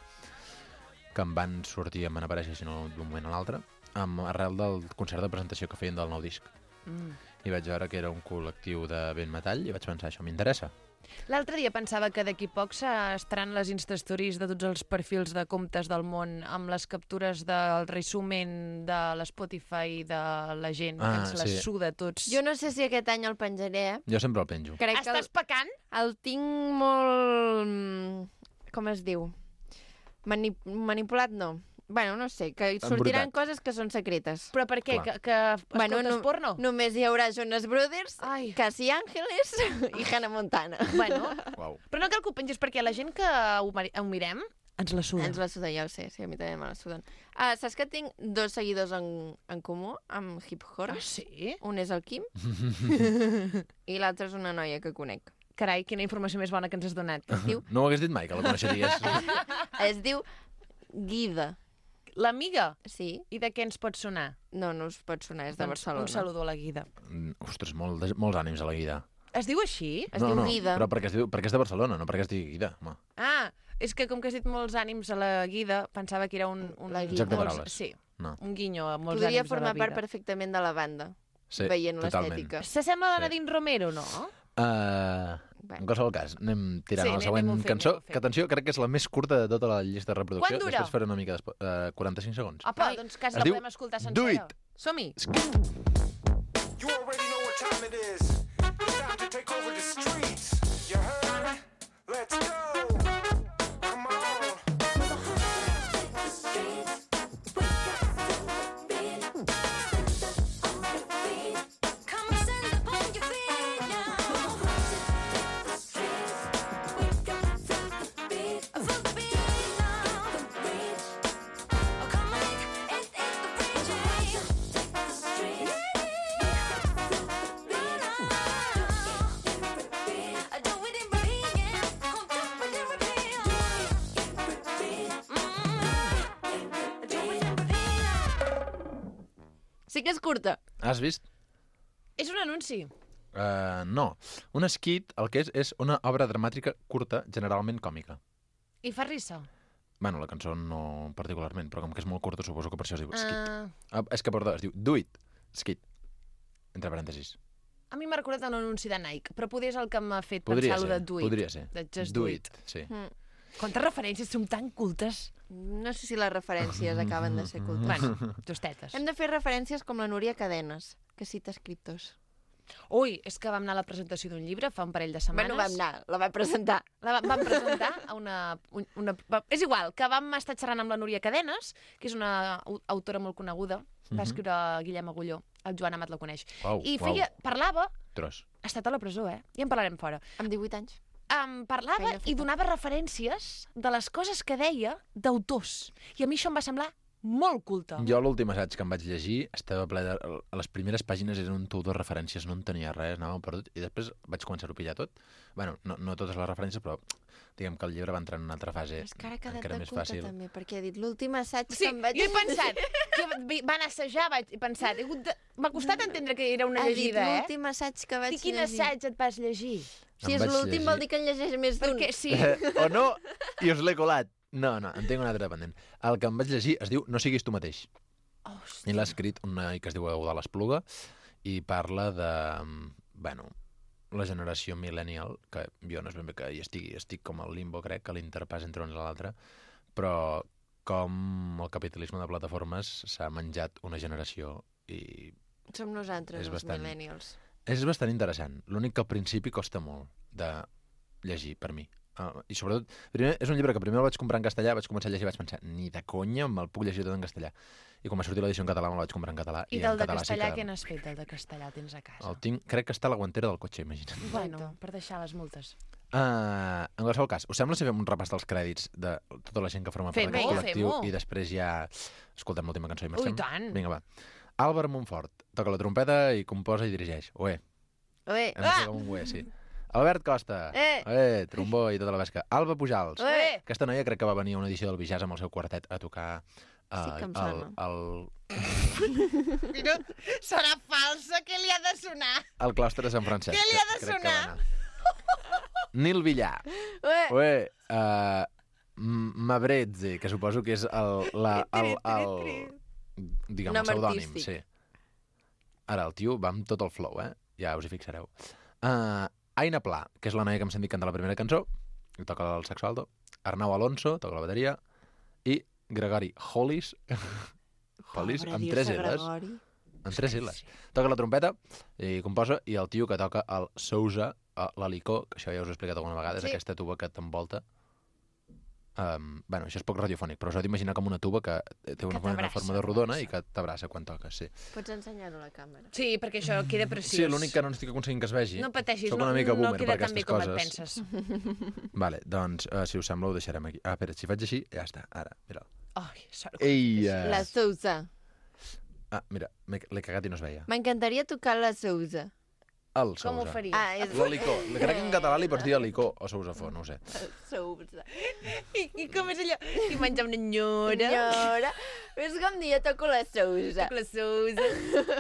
que em van sortir, em van aparèixer, si no d'un moment a l'altre, amb arrel del concert de presentació que feien del nou disc. Mm. I vaig veure que era un col·lectiu de ben metall i vaig pensar, això m'interessa. L'altre dia pensava que d'aquí poc estaran les Instastories de tots els perfils de comptes del món amb les captures del resumen de l'Spotify de la gent Ah, que ens la sí. suda tots. Jo no sé si aquest any el penjaré, eh? Jo sempre el penjo. Crec que el, Estàs pecant? el tinc molt... mm, Com es diu? Mani manipulat, no. Bueno, no sé, que sortiran Embrutat. coses que són secretes. Però per què? Clar. Que, que Bueno, escoltes no- porno? Només hi haurà Jonas Brothers, Ai. Casi Ángeles i Hannah Montana. Bueno, Uau. però no cal que ho pengis perquè la gent que ho, mari- ho mirem ens la suda. Ens la suda, ja ho sé, sí, a mi també me la suden. Ah, saps que tinc dos seguidors en, en comú amb Hip Horn? Ah, sí? Un és el Quim i l'altre és una noia que conec. Carai, quina informació més bona que ens has donat. Es diu, No ho hagués dit mai, que la coneixeries. es diu Guida. L'amiga? Sí? I de què ens pot sonar? No, no us pot sonar, és de Doncs Barcelona. Un saludo a la Guida. Mm, Ostres, molt, de- molts ànims a la Guida. Es diu així? Es no, diu no, Guida. però perquè, es diu, perquè és de Barcelona, no perquè es digui Guida. Home. Ah, és que com que has dit molts ànims a la Guida, pensava que era un... un La Guida. Joc de molts- paraules. Sí, No. un guinyo a molts Podria ànims formar a la part vida. perfectament de la banda, Sí, veient totalment. l'estètica. S'assembla a la Sí. Nadine Romero, no? Uh, Bé. en qualsevol cas, anem tirant Sí, a la anem- següent anem-ho fent, cançó, anem-ho fent. que atenció, crec que és la més curta de tota la llista de reproducció. Quant dura? Després faré una mica de... Uh, quaranta-cinc segons. Apa, Ai. doncs quasi Es la diu podem escoltar Do sencera. It. Som-hi! You already know what time it is. It's time to take over the streets. You heard? Let's go. Come on. Come stand up on your feet now. Feel the beat now. Oh, come on, it is the preaching. I do it in repeat, come do it in repeat. I do it in repeat. Sí que és curta. Has vist? És un anunci. Uh, no. Un skit, el que és, és una obra dramàtica curta, generalment còmica. I fa risa. Bueno, la cançó no particularment, però com que és molt curta, suposo que per això es diu skit. Uh, Ah, és que, perdó, es diu Do It, skit. Entre parèntesis. a mi m'ha recordat un anunci de Nike, però poder és el que m'ha fet Podria pensar-lo ser, de Do It. podria ser. De Just Do Do It, It. sí. Mm. Quantes referències, som tan cultes. No sé si les referències acaben de ser cultes. Bueno, tostetes. Hem de fer referències com la Núria Cadenes, que cita escriptors. Ui, és que vam anar a la presentació d'un llibre fa un parell de setmanes. Bueno, vam anar, la vam presentar. La va- vam presentar a una, un- una... va- És igual, que vam estar xerrant amb la Núria Cadenes, que és una au- autora molt coneguda. Va escriure Guillem Agulló. El Joan Amat la coneix. Uau, I uau. feia, parlava... Tros. Ha estat a la presó, eh? Ja en parlarem fora. Amb divuit anys. Um, parlava Feina feta. i donava referències de les coses que deia d'autors. I a mi això em va semblar molt culta. Jo l'últim assaig que em vaig llegir estava ple de... A les primeres pàgines eren un tou de referències, no en tenia res, anàvem perdut, i després vaig començar a pillar tot. Bueno, no, no totes les referències, però diguem que el llibre va entrar en una altra fase És que ara ha quedat encara de més culta fàcil. també, perquè ha dit l'últim assaig Sí, que em vaig... jo he pensat que vi- van assajar, vaig, he pensat, he hagut de... m'ha costat entendre que era una Ha dit llegida, eh? l'últim assaig que vaig I quin llegir. assaig et vas llegir? Si Em és vaig l'últim llegir. vol dir que en llegeix més d'un. Perquè sí, Eh, o no, i us l'he colat. No, no, en tinc un altre dependent. El que em vaig llegir es diu No siguis tu mateix. I l'ha escrit un noi que es diu Eudal Espluga i parla de, bueno, la generació millennial, que jo no és ben bé que hi estigui, estic com al limbo, crec, que l'interpàs entre una i l'altra, però com el capitalisme de plataformes s'ha menjat una generació i Som nosaltres, És els bastant- millennials. és bastant interessant. L'únic que al principi costa molt de llegir, per mi. Uh, I sobretot, primer, és un llibre que primer el vaig comprar en castellà, vaig començar a llegir i vaig pensar, ni de conya me'l puc llegir tot en castellà. I quan va sortir l'edició en català me'l vaig comprar en català. I en del de català castellà, sí què que... n'has fet, del de castellà? Tens a casa? El tinc, crec que està a la guantera del cotxe, imagina't. Bueno, per deixar les multes. Uh, en qualsevol cas, us sembla si fem un repàs dels crèdits de tota la gent que forma part Fem-ho, d'aquest col·lectiu fem-ho. i després ja escoltem l'última cançó i Ui, marxem? tant. Vinga, va. Àlvar Montfort, toca la trompeta i composa i dirigeix. Oe. Ué, Hem de fer com un ué, sí. Albert Costa, Eh. eh, trombó i tota la pesca. Alba Pujals, Ué. aquesta noia crec que va venir a una edició del Bijàs amb el seu quartet a tocar uh, Sí que em el, sona. el, Mira, serà falsa, què li ha de sonar? el claustre de Sant Francesc. Què li ha de crec que sonar? va anar. Nil Villar, ué. ué, uh, Mabrezze, que suposo que és el, la, el, el, diguem, el Nom pseudònim, artístic. sí. Ara, el tio va amb tot el flow, eh? Ja us hi fixareu. Uh, Aina Pla, que és la noia que hem sentit cantar la primera cançó, i toca el saxo alto. Arnau Alonso, toca la bateria. I Gregori Hollis, Hollis, Pobre, amb dir-se tres L's. Gregori. Amb tres L's. Toca la trompeta i composa, i el tio que toca el Sousa, eh, l'Alicó, que això ja us ho he explicat alguna vegada, és Sí. aquesta tuba que t'envolta. Um, bueno, això és poc radiofònic, però us heu d'imaginar com una tuba que té una, Que una t'abraça, forma de rodona i que t'abraça quan toques, sí. Pots ensenyar-ho a la càmera. Sí, perquè això queda preciós. Sí, l'únic que no estic aconseguint que es vegi. No pateixis, Soc no, una mica no boomer queda per tan bé aquestes com et coses. penses. Vale, doncs, uh, si us sembla, ho deixarem aquí. Ah, espera, si faig així, ja està, ara, mira. Ai, sort que Ei! La Uh... Sousa. Ah, mira, m'he l'he cagat i no es veia. M'encantaria tocar la Sousa. El Com ho Sousa. faries? Ah, és... L'Alicó. Crec que en català li pots dir Alicó o Sousafó, no ho sé. Sousa. I, I com és allò? I menjar una nyora. Senyora, és com dir, jo toco la Sousa. La Sousa.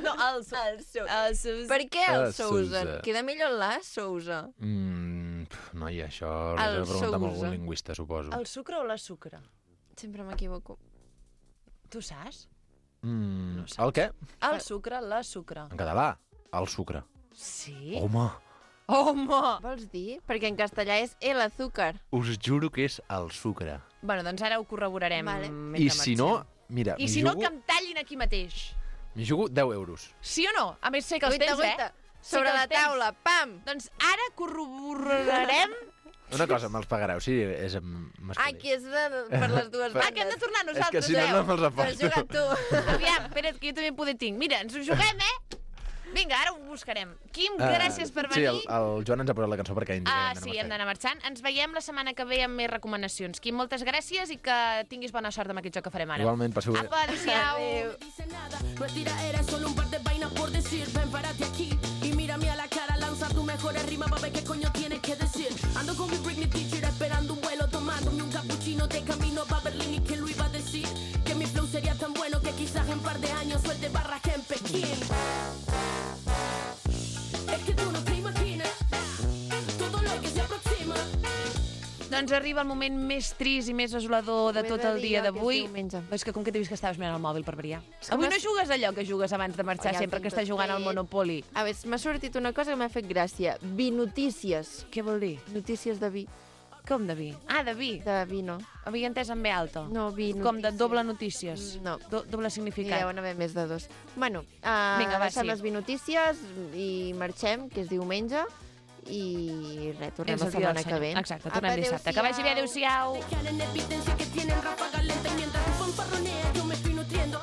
No, el, so, El Sousa. el Sousa. Per què el La Sousa? Sousa. Queda millor la Sousa. Mm, pf, noia, això El l'has de preguntar amb Sousa. algun lingüista, suposo. El sucre o la sucre? Sempre m'equivoco. Tu saps? Mm, No saps. el què? El sucre, la sucre. En català? El sucre. Sí? Home, Home! Vols dir? Perquè en castellà és el azúcar. us juro que és el sucre. Bueno, doncs ara ho corroborarem. Vale. mentre I si no, marxem. mira, I m'hi si no, jugo, que em tallin aquí mateix. m'hi jugo deu euros. Sí o no? A més, sé que els Guaita, tens, guaita. eh? Sé Sobre que els la tens. taula, pam! Doncs ara corroborarem... Una cosa, me'ls pagareu, sí, és en masculí. Ah, que és de, per les dues Ah, que hem de bandes. tornar és nosaltres, que si no, eh? no me'ls T'ho has aposto. jugat tu. Aviam, espera't, que jo també poder tinc. Mira, ens ho juguem, eh? Vinga, ara ho buscarem. Quim, Ah, gràcies per Sí, venir. el, el Joan ens ha posat la cançó perquè ens Ah, sí, hem d'anar marxant. Ens veiem la setmana que ve amb més recomanacions. Quim, moltes gràcies i que tinguis bona sort amb aquest joc que farem ara. Igualment, passeu bé. Apa, adéu-siau. Adéu. dice nada, no es tiradera, es solo un par de vainas por decir. Ven, párate aquí y mírame a la cara, lanza tu mejores rimas para ver qué coño tienes que decir. Ando con mi Britney teacher esperando un vuelo, tomándome un cappuccino de camino pa' Berlín. ¿Y quién lo iba a decir? Que mi flow sería tan bueno que quizás en un par de años suelte barras que en Pekín. Es que tú no te imaginas todo lo que se aproxima. Doncs arriba el moment més trist i més desolador de Ho he tot de el dir dia jo, que és d'avui. diumenge. És que com que t'he vist que estaves mirant el mòbil per variar. que Avui m'has- no jugues allò que jugues abans de marxar, Oh, ja ho sempre tinc que estàs tot jugant al fet. Monopoly. A veure, m'ha sortit una cosa que m'ha fet gràcia. Vinotícies. Què vol dir? Notícies de vi. Com de vi? Ah, de vi. De vi no. Havia entès en B alta. No, vi notícies. Com de doble notícies. No. Do doble N'hi significat. deuen haver més de dos. Bueno, uh, Vinga, va, deixem sí. les vinotícies i marxem, que és diumenge, i res, tornem És la el dia setmana del que Senyor. ve. Exacte, tornem Apa, dissabte. Que vagi bé, adéu-siau. Dejar en evidencia que tienen ráfaga lenta y mientras tu fanfarronea yo me estoy nutriendo.